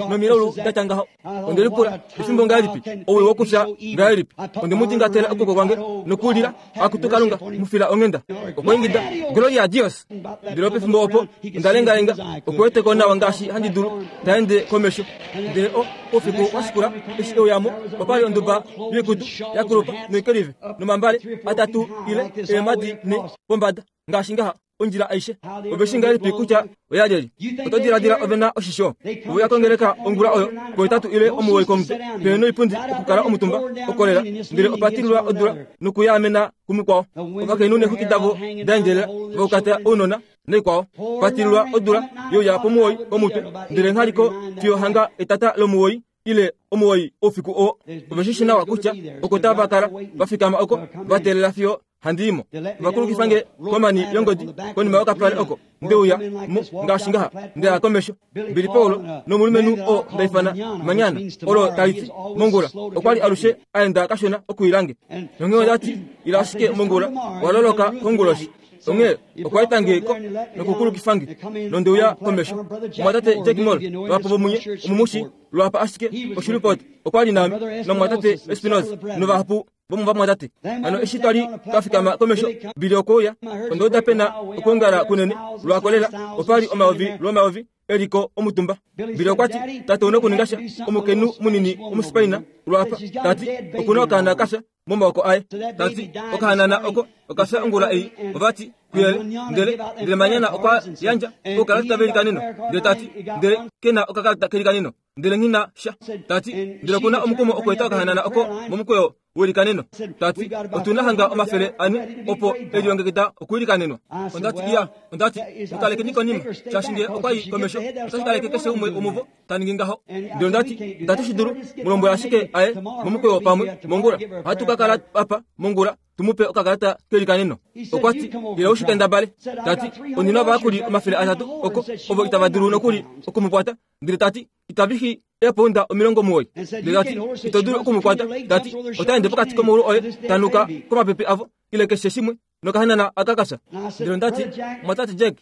S1: nomilaulu da tya ngaho. Onde lipula, Efimbo ngahelipi? Owii wokufya ngahelipi? Onde mu dingatela okwooko kwange nokulila, Akutu Kalunga, mu fila onghenda! Okwa ingida, Gloria a Dios! Ndele pefimbo opo onda lengalenga, okuwete ko nawa ngaashi handi dulu, ta ende komesho. Ndele o, oufiku wa shikula, eshi e uya mo, opa li onduba yoikutu ya kulupa noikelive, nomambale atatu ile eemhadi nhe pombada, ngaashi ngaha, ondjila aishe. Ove shii ngahelipi kutya oya lyelye? Oto diladila ove na oshisho? Ove uya kongeleka ongula oyo pohetatu ile omuwoi komutwe, pehe noipundi okukala omutumba, okolela, ndele opa tililwa odula nokuyaamena kumukwao. Ovakainhu neexwiki davo da endjelela, va ukata ounona naikwao. Pa tililwa odula youya pomuwoi komutwe, ndele ngha li ko fiyo hanga etata lomuwoi ile omuwoi oufiku oo. Ove shi shi nawa kutya oko tava kala va fikama oko, va teelela fiyo handi i mo. Ova kulukifa nge komani yongodi konima yokapale oko nde uya mo ngaashi ngaha, nda ya komesho. Billy Paul nomulumenhu oo nda ifana Manyana, olo tali ti mongula, okwa li alushe a enda kashona okuila nge. Nonghee onda ti, Ila ashike mongula, wa loloka konguloshi. Onghee okwa eta nge ko nokukulukifa nge, nonde uya komesho. Omumwatate Jack Moore, vahapu vomunye omumushi lwaapa ashike oshilipot, okwa li naame, nomumwatate Espinoza, novahapu vomovamwatate. Hano eshi twa li twa fikama komesho, Billy okwe uya. Onda uda pe na okwoongala kunene lwaako lela, opa li omayovi lwomayovi e li ko omutumba. Billy okwa ti, Tate ou na okuninga sha, omukainhu munini Omuspaina lwaapa, ta ti, oku na okaana ka fya momaoko aye. Ta ti, Okahanana oko oka fya ongula ei. Ova ti, Kuyele. Ndele, ndele Manyana okwa yandja oukalata velikaneno, ndele ta ti, Ndele ke na okakalata kelikaneno. Ndele nghi na sha. Ta ti, Ndele oku na omukumo okweeta okahanana oko momukweyo welikaneno. Ta ti, Otu na hanga 400 opo e lilongekida okuilikanenwa. Onda ti, Iya. Onda ti, Mu kalekeni konima, shaashi nge okwa i komesho, otashi kaleke keshe umwe womuvo ta ningi ngaho. Ndele onda ti, Itatu shi dulu. Mu lombwela ashike a ye momukweyo pamwe mongula. Ohatu ka kala apa mongula tu mu pe okakalata kelikaneno. Okwa ti, Ila u shi kendabale. Ta ti, Ondi na ovayakuli 300 oko, ovo itava dulu nokuli oku mu kwata. Ndele ta ti, Itavi fi eepounda 90. Ndele ta ti, Ito dulu oku mu kwata. Ta ti, Ota ende pokati komaulu oye, ta nuka komapepe avo, ile keshe shimwe, nokahanana aka ka fya. Ndele onda ti, Mwatate Jack,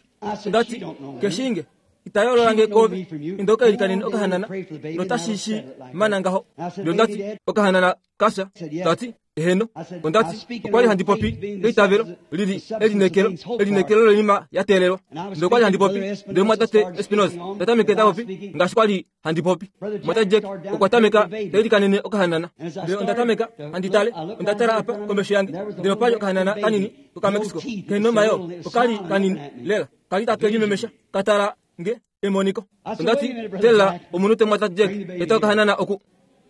S1: onda ti, Keshiinge, ita yoolola nge koove. Inda u ka ilikanene okahanana, notashi shi mana ngaho. Ndele onda ti, Okahanana ka fya. Ta ti, Eheno. Onda ti, Okwa li handi popi eitavelo li li elineekelo, elineekelo loinima ya teelelwa. Ndele okwa li handi popi, ndele omumwatate Espinoza ta tameke ta popi ngaashi kwa li handi popi. Omumwatate Jack okwa tameka ta ilikanene okahanana. Ndele onda tameka handi tale, onda tala apa komesho yange, ndele opa li okahanana kanini kokaMexico, kehe nomayoo, oka li kanini lela. Ka li take limemesha, ka tala nge emoniko. Onda ti, Tela omunute mwatate Jack, eta okahanana oku.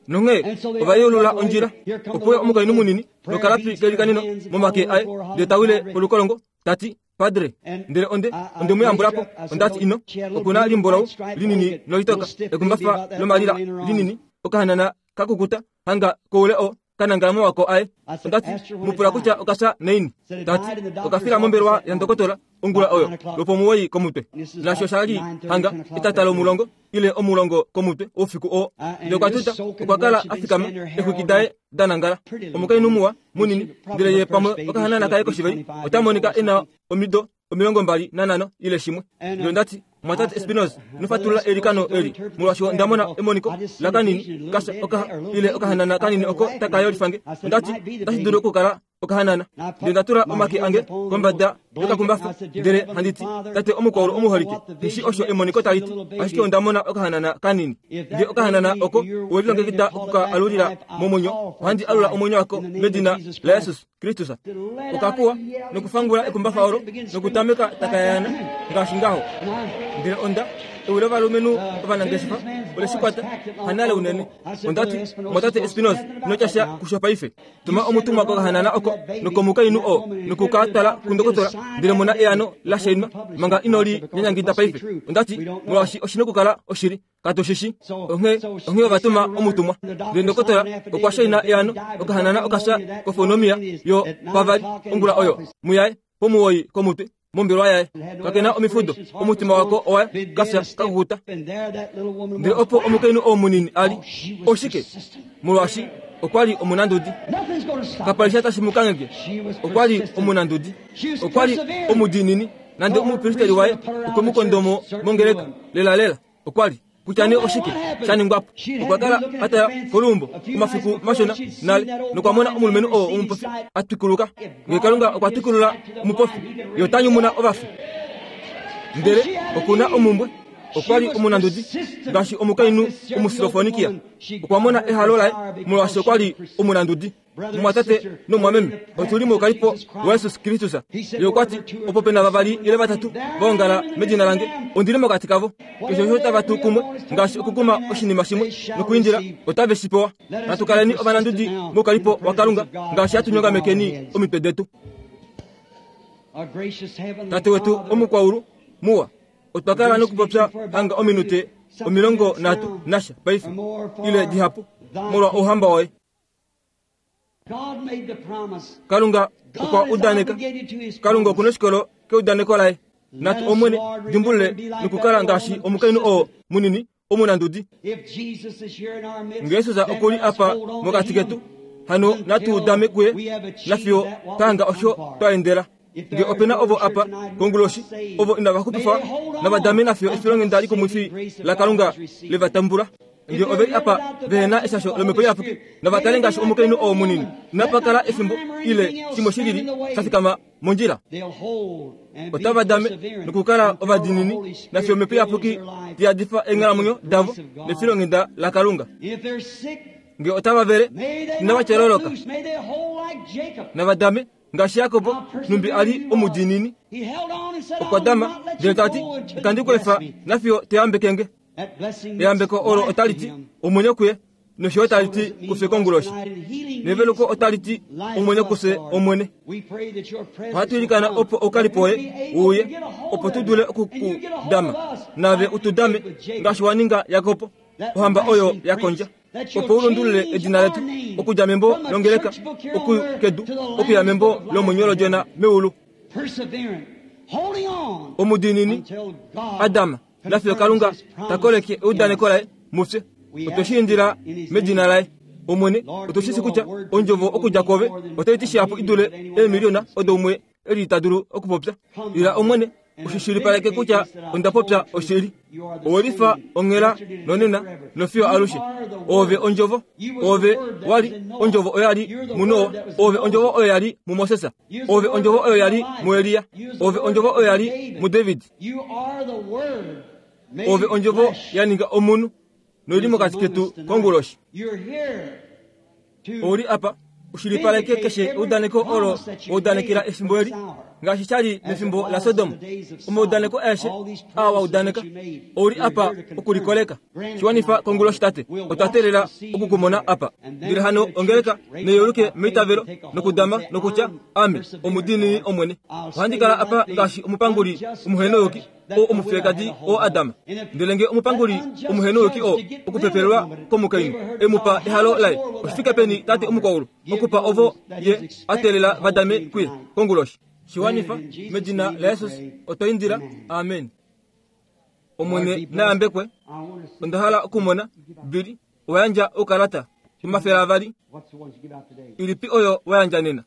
S1: Nonghee ova yeulula ondjila. Opo uya omukainhu munini nokalapi kelikanino momake aye, ndele ta wile polukolongo, ta ti, Padre. Ndele onde, onde mu yambula po. Onda ti, Ino, oku na limbolau linini nolitoka, ekumbafa lomalila linini, okahanana ka kukuta, hanga koule oo ka nangala momako aye. Onda ti, Mu pula kutya oka fya naini. Ta ti, Oka fila mombelewa yandokotola ongula oyo lwopomuwoi komutwe. Naasho osha li hanga etata lomulongo ile omulongo komutwe oufiku oo. Ndele okwa tuta, okwa kala a fikama, eexwiki daye da nangala. Omukainhu muwa, munini, ndele ye pamwe okahanana kaye koshiveli ota monika e na omido 25 ile shimwe. Ndele onda ti, Mumwatate Espinoza, ino fatulula eilikano eli, molwaashi onda mona emoniko lakanini kasha oka ile okahanana kanini oko taka yolifa nge. Onda ti, Otashi dulu okukala okahanana. Ndele nda tula omake ange kombada yokakumbafa, ndele handi ti, Tate omukwaulu omuholike, nghi shii osho emoniko tali ti, ashike onda mona okahanana kanini. Nge okahanana oko owe lilongekida oku ka alulila momwenyo, ohandi alula omwenyo wako medina laJesus Kristus. Okakuwa nokufangula ekumbafa olo nokutameka taka yaana ngaashi ngaho. Ndele onda ewi lovalumenhu ovanangeshefa ole shi kwata hanale unene. Onda ti, Mumwatate Espinoza, ino tya sha kusho paife. Tuma omutumwa kokahanana oko nokomukainhu oo noku ka twala kundokotola ndele mona eano la shainwa manga ino li nyanyangida paife. Onda ti, Molwaashi oshi nokukala oshili. Katu shi shi. Onghee, onghee ova tuma omutumwa. Ndele ndokotola okwa shaina eano, okahanana oka fya kofonomia yo pavali ongula oyo, muyaye, pomuwoi komutwe, mombelwa yaye. Kake na omifudo, omutima wako owa ka fya ka kukuta. Ndele opo omukainhu oo munini a li, oshike? Molwaashi okwa li omunandudi. Kapa li sha tashi mu kangheke. Okwa li omunandudi. Okwa li omudiinini. Nande omupristeri waye okwe mu kondomo mongeleka, lelalela. Okwa li kutya nee oshike sha ningwa po. Okwa kala a tala koluumbo omafiku mashona nale nokwa mona omulumenhu oo omupofi a twikuluka. Ngee Kalunga okwa twikulula omupofi, Ye ota nyumuna ovafi. Ndele oku na omumbwe. Okwa li omunandudi ngaashi omukainhu Omusilofonikia. Okwa mona ehalo laye molwaashi okwa li omunandudi. Mumwatate nomumwameme, otu li moukalipo waJesus Kristus. Ye okwa ti, Opo pe na vavali ile vatatu va ongala medina lange, ondi li mokati kavo. Keshe osho tava tu kumwe, ngaashi okukuma oshinima shimwe nokwiindila, otave shi pewa. Natu kaleni ovanandudi moukalipo waKalunga, ngaashi hatu nyongamekeni omitwe detu. Tate wetu omukwaulu, muwa, otwa kala nokupopya hanga ominute 30 nasha paife, ile dihapu, molwa Ouhamba woye. Kalunga okwa udaneka. Kalunga oku noshikolo keudaneko laye. Natu Omwene dimbulule nokukala ngaashi omukainhu oo munini omunandudi. Nge Jesus oku li apa mokati ketu, hano natu udame kuye nafiyo twa hanga osho twa endela. Nge ope na ovo apa konguloshi ovo inava xupifwa, nava dame nafiyo efilonghenda likumwifi laKalunga le va tambula. Nge ove li apa vehe na eshasho lOmhepo Iyapuki, nava kale ngaashi omukainhu oo munini. Inapa kala efimbo ile shimwe shi lili sha fikama mondjila. Otava dame nokukala ovadiinini nafiyo Omhepo Iyapuki ta yadifa eenghalamwenyo davo nefilonghenda laKalunga. Nge otava vele, inava tyololoka. Nava dame Ngaashi Jakob, nhumbi a li omudiinini, okwa dama ndele ta ti, Itandi ku efa nafiyo to yambeke nge. Eyambeko olo otali ti omwenyo kuye, nosho yo tali ti kufye konguloshi. Neveluko otali ti omwenyo kufye Omwene. Ohatu ilikana opo oukalipo woye u uye, opo tu dule oku ku dama, naave u tu dame ngaashi wa ninga Jakob, ohamba oyo ya kondja. opo u lundulule edina letu okudja membo longeleka kedu okuya membo lomwenyo lOdjona meulu. Omudiinini Adam nafiyo Kalunga ta koleke eudaneko laye mufye. Otwe shi indila medina laye. Omwene, otu shi shi kutya ondjovo okudja kwoove otai ti shihapu i dule eemiliona odo umwe e li ta dulu okupopya. Ila Omwene, u shi shilipaleke kutya onda popya oshili. Owe lifa onghela nonena nofiyo alushe. Oove Ondjovo. Oove wa li Ondjovo oyo ya li muNoa. Oove Ondjovo oyo ya li muMoses. Oove Ondjovo oyo ya li muElia. Oove Ondjovo oyo ya li muDavid. Oove Ondjovo ya ninga omunhu noi li mokati ketu konguloshi. Ou li apa u shilipaleke keshe eudaneko olo wa udanekela efimbo eli. Ngaashi sha li mefimbo laSodom, omaudaneko aeshe aa wa udaneka, ou li apa okulikoleka. Shi wanifa konguloshi, Tate. Otwa teelela oku ku mona apa. Ndele hano ongeleka neiuluke meitavelo nokudama nokutya, Ame omudiinini Omwene. Ohandi kala apa ngaashi omupanguli omuhenouyuki, oo omufiyekadi oo a dama. Ndele nge omupanguli omuhenouyuki oo okupepelelwa komukainhu e mu pa ehalo laye, oshi fike peni Tate omukwaulu okupa ovo ye a teelela va dame kuye konguloshi. Shi wanifa, medina laJesus otwa indila. Amen. Omwene na yambekwe. Onda hala okumona, Billy, owa yandja oukalata 200. Ilipi oyo wa yandja nena?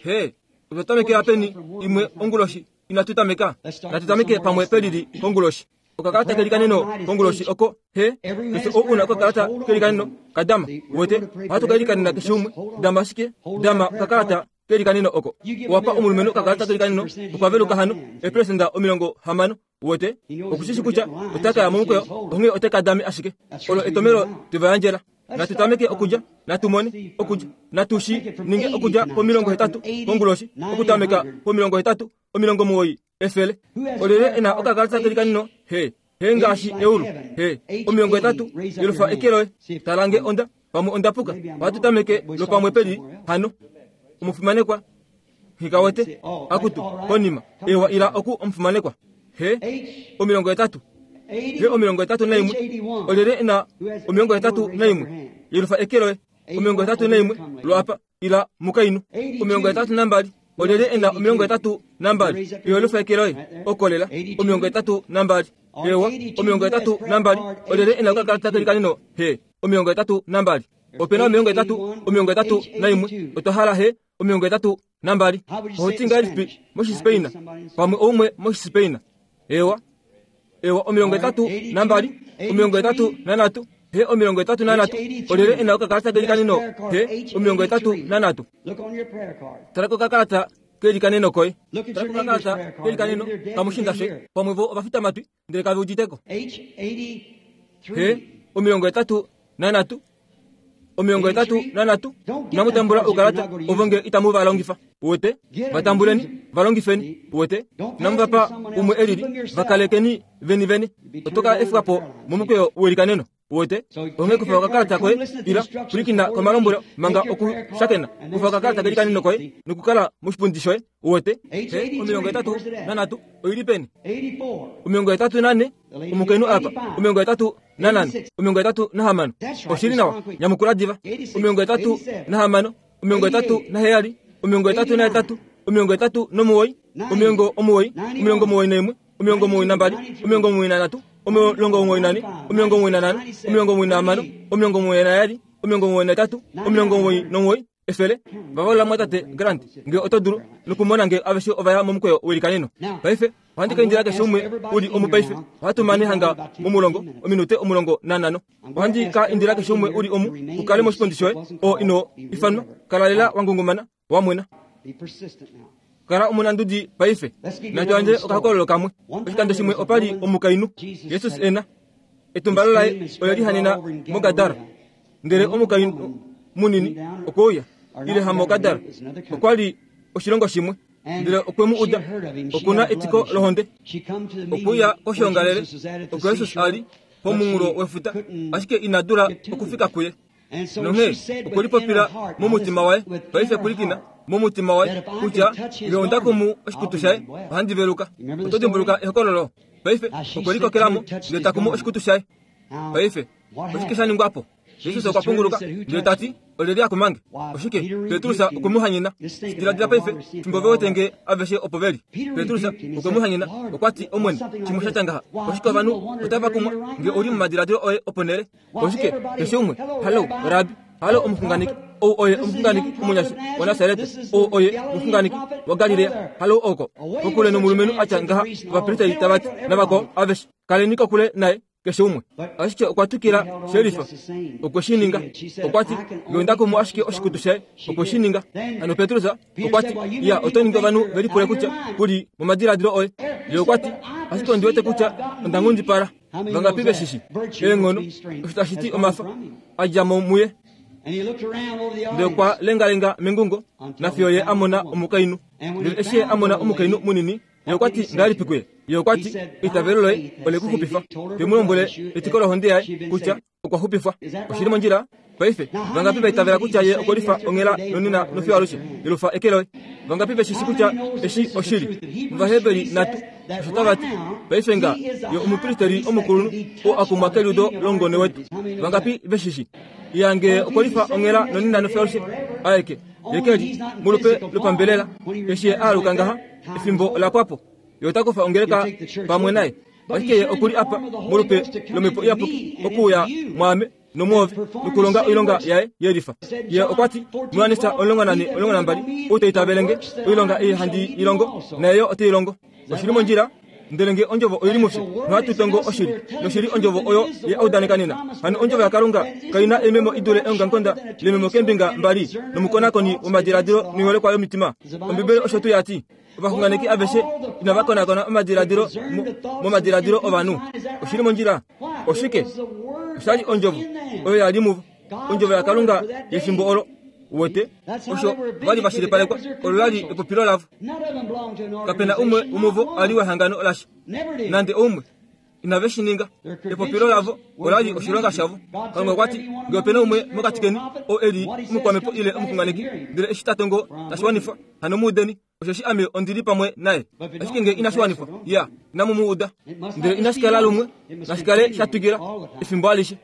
S1: He, otwa tamekela peni imwe onguloshi inatu tameka? Natu tameke pamwe pelili konguloshi. Okakalata kelikaneno konguloshi oko he keshe ou una okakalata kelikaneno kadama wete ohatu ka ilikanena keshe umwe dama ashike dama okakalata kelikaneno oko wapa omulumenhu okakalata kelikaneno okwa veluka hano eperesenda 60 wete okushishi kutya ota ka ya momukweyo onghee ote ka dame ashike olo etomelo twe va yandjela natu tameke okudja natu mone okudja natu shi ninge okudja pomilongo hetatu konguloshi okutameka pomilongo hetatu 90 100 olyelye e na okakalata kelikanino he he ngaashi eulu he 80 yelufa eke loye tala nge onda pamwe onda puka ohatu tameke lopamwe peli hano omufimanekwa nghikawete akutu konima ewa ila oku omufimanekwa he 80 he 81 olyelye e na 81 yelufa eke loye 81 lwaapa ila mukainhu 82 olyelye e na 82 yelufa eke loye okolela 82 ewa 82 olyelye e na okakalata kelikaneno he 82 ope na 80 81 otwa hala he 82 ohoti ngahelipi moshispain pamwe oumwe moshispain ewa ewa 82 83 he 83 olyelye e na okakalata kelikaneno he 83 tala kokakalata kelikaneno koye tala kokakalata kelikaneno kamushinda shoye pamwe vo ovafitamatwi ndele kave uditeko he 83 83 inamu tambula oukalata ovo nge itamu va longifa uwete va tambuleni va longifeni uwete inamu va pa umwe e lili va kalekeni veni vene oto ka efwa po momukweyo welikaneno uwete onghee kufa okakalata koye ila pwilikina komalombwelo manga okushakena kufa okakalata kelikaneno koye nokukala moshipundi shoye uwete 83 oili peni 84 omukainhu apa 84 86 oshili nawa nyamukula diva 86 87 88 89 91 92 93 94 95 96 99 100 Vavaula mwatate Grant nge oto dulu nokumona nge aveshe ova ya momukweyo welikaneno. Paife ohandi ka indila keshe umwe u li omu paife. Ohatu mane hanga momulongo, ominute 15. Ohandi ka indila keshe umwe u li omu u kale moshipundi shoye, oo ino ifanwa. Kala lela wa ngungumana, wa mwena. Kala omunandudi paife. Natu yandje okahokololo kamwe. Oshikando shimwe opa li omukainhu, Jesus e na etumbalo laye ole lihanena moGadara. Ndele omukainhu munini okwe uya, ile hamoGadara, okwa li oshilongo shimwe. Ndele okwe mu uda, oku na etiko lohonde. Okwe uya koshoongalele oko Jesus a li pomunghulo wefuta, ashike ina dula okufika kuye. Nonghee okwe lipopila momutima waye, paife pwilikina, momutima waye, kutya nge onda kumu oshikutu shaye, ohandi veluka. Oto dimbuluka ehokololo? Paife okwe likokela mo, ndele ta kumu oshikutu shaye. Paife oshike sha ningwa po? Jesus okwa punguluka ndele ta ti, Olyelye a kuma nge? Oshike? Petrus okwe mu hanyena. Diladila paife, fimbo ve wete nge aveshe opo ve li. Petrus okwe mu hanyena, okwa ti, Omwene, shimwe sha tya ngaha, oshike ovanhu otava kumwa nge ou li momadiladilo oye oponhele? Oshike, keshe umwe, Hallo, Rabbi, hallo omuxunganeki, ou oye omuxunganeki omunyasha waNasaret, ou oye omuxunganeki waGalilea, hallo oko, kokule nomulumenhu a tya ngaha, ovapristeri tava ti, navakwao aveshe, kaleni kokule naye, keshe umwe. Ashike okwa twikila shelifa, okwe shi ninga. Okwa ti, Nge onda kumu ashike oshikutu shaye, okwe shi ninga. Hano Petrus okwa ti, Ya, oto ningi ovanhu ve lipule kutya ku li momadiladilo oye. Ye okwa ti, Ashike ondi wete kutya onda nghundipala. Vangapi ve shi shi? Eenghono, osho tashi ti omafa, a dja mo muye. Ndele okwa lengalenga mengungo, nafiyo ye a mona omukainhu. Ndele eshi ye a mona omukainhu munini, ye okwa ti ngahelipi kuye? Ye okwa ti, Eitavelo loye ole ku xupifa. Te mu lombwele etiko lohonde yaye kutya okwa xupifwa. Oshi li mondjila? Paife, vangapi va itavela kutya ye okwe lifa onghela nonena nofiyo alushe? Yelufa eke loye. Vangapi ve shi shi kutya eshi oshili? Ovaheberi natu osho tava ti. Paife nga ye omupristeri omukulunhu oo a kumwa keliudo lomungone wetu. Vangapi ve shi shi? Iya nge okwe lifa onghela nonena nofiyo alushe, aeke, ye ke li molupe lopambelela. Eshi ye a aluka ngaha, efimbo ola pwa po. Ye ota kufa ongeleka pamwe naye. Ashike ye oku li apa molupe lOmhepo Iyapuki okuuya mwaame nomwoove nokulonga oilonga yaye ye lifa. Ye okwa ti, Johannes 14, 12, Ou ta itavele nge, oilonga ei handi i longo, naye yo ote i longo. Oshi li mondjila? Ndele nge ondjovo oi li mufye, nohatu tongo oshili, noshili ondjovo oyo ye a udaneka nena. Hano ondjovo yaKalunga kai na eememo i dule eongamukonda lememo keembinga mbali, nomukonakoni womadiladilo noiholekwa yomitima. Ombibeli osho tuu ya ti. Ovaxunganeki aveshe inava konakona omadiladilo momadiladilo ovanhu. Oshi li mondjila. Oshike? Osha li ondjovo oyo ya li muvo, ondjovo yaKalunga yefimbo olo. Uwete? Osho va li va shilipalekwa, olo la li epopilo lavo. Kape na umwe womuvo a li wehangano lasha, nande oumwe. Inave shi ninga. Epopilo lavo ola li oshilonga shavo. Kalunga okwa ti, Nge ope na umwe mokati keni oo e li omukwamhepo ile omuxunganeki, ndele eshi ta tongo tashi wanifwa, hano mu udeni, osheshi ame ondi li pamwe naye. Ashike nge inashi wanifwa, ya, inamu mu uda. Ndele inashi kala lumwe, nashi kale sha twikila efimbo alishe.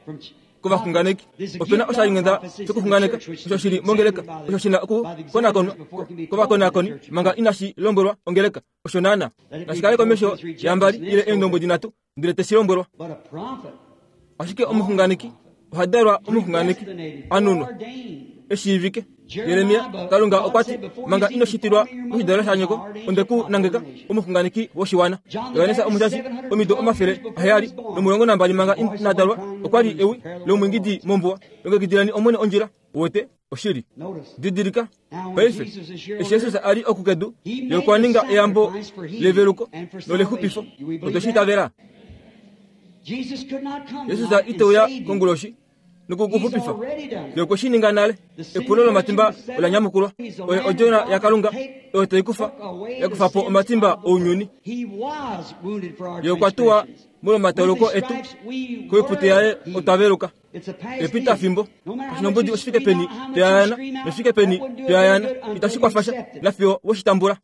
S1: Kovaxunganeki, ope na oshalinghenda shokuxunganeka osho shi li mongeleka, osho shi na okukonakonwa kovakonakoni manga inashi lombwelwa ongeleka. Osho naana nashi kale komesho yambali ile eendombwedi nhatu ndele te shi lombwelwa. Ashike omuxunganeki oha dalwa omuxunganeki a nunwa, e shiivike. Jeremia, Kalunga okwa ti, manga ino shitilwa moshidalelo shanyoko, onde ku nangeka omuxunganeki woshiwana. Johannes Omushashi, omido 712 manga ina dalwa, okwa li ewi lomwiingidi mombuwa, Longekidileni Omwene ondjila. Uwete? Oshili. Didilika, paife, eshi Jesus a li oku kedu, ye okwa ninga eyambo leveluko nolexupifo. Otwe shi itavela. Jesus ite uya konguloshi noku ku xupifa. Ye okwe shi ninga nale. Epulo lomatimba ola nyamukulwa. Oye Odjona yaKalunga oyo tai kufa, ya kufa po omatimba ounyuni. Ye okwa tuwa molwomatauluko etu, koipute yaye otwa veluka. Epitafimbo, oshinombudi oshi fike peni toyayana noshi fike peni toyayana, itashi kwafa sha nafiyo we shi tambula.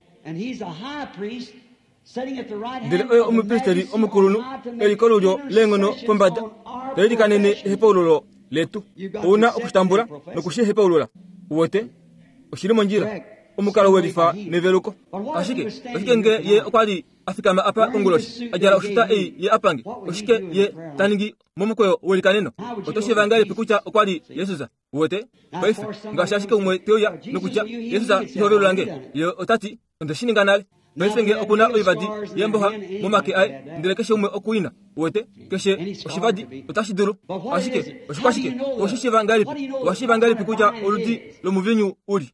S1: Ndele oye omupristeli omukulunhu e li kolulyo leenghono pombada, ta ilikanene ehepaululo letu. Ou na oku shi tambula noku shi hepaulula. Uwete? Oshi li mondjila. Omukalo we lifa neveluko. Ashike, oshike nge ye okwa li a fikama apa konguloshi, a djala oshuta ei ye a pange, oshike ye ta ningi momukweyo welikaneno? Oto shiiva ngahelipi kutya okwa li Jesus? Uwete? Paife, ngaashi ashike umwe te uya nokutya, Jesus, iho velula nge? Ye ota ti, Onde shi ninga nale. Paife nge oku na oivadi yeemboxa momake aye, ndele keshe umwe oku i na. Uwete? Keshe oshivadi otashi dulu. Ashike, oshikwashike? Owe shi shiiva ngahelipi? Owa shiiva ngahelipi kutya oludi lomuviinyu u li?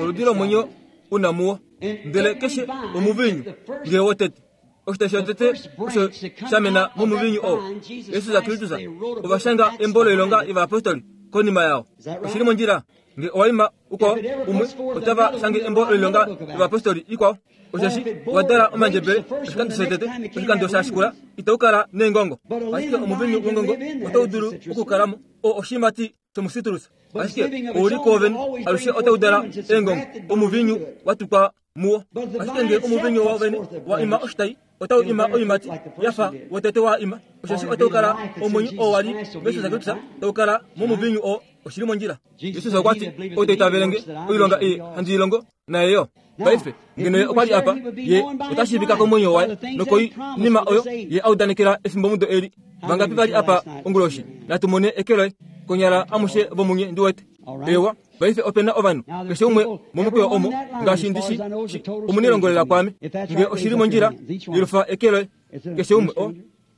S1: Oludi lomwenyo u na muwo. Ndele keshe omuviinyu, nge wotete, oshitayi shotete osho sha mena momuviinyu oo, Jesus Kristus, ova shanga embo loilonga yovayapostoli konima yao. Oshi li mondjila? Nge owa ima ukwao umwe, otava shange embo loilonga yovayapostoli ikwao. Osheshi wa dala omandjebele oshikando shotete, oshikando sha shikula itau kala neengongo. Ashike omuviinyu wongongo otau dulu okukala mo, oo oshiimati shomusitrus. Ashike ou li kwoovene alushe otau dala eengongo, omuviinyu wa tukwa muwo. Ashike nge omuviinyu woovene wa ima oshitai, otau ima oiimati ya fa wotete wa ima, osheshi otau kala omwenyo oo wa li muJesus Kristus, tau kala momuviinyu oo. Oshi li mondjila. Jesus okwa ti, Ou ta itavele nge, oilonga ei handi i longo, naye yo. Paife, ngeno ye okwa li apa, ye ota shiivika komwenyo waye nokoinima oyo ye a udanekela efimbomudo eli. Vangapi va li apa onguloshi? Natu mone eke loye. Konyala amushe vomunye ndi wete. Ewa, paife ope na ovanhu, keshe umwe momukweyo omo, ngaashi ndi shi shi, omunelongolela kwaame. Nge oshi li mondjila, yelufa eke loye. Keshe umwe, o,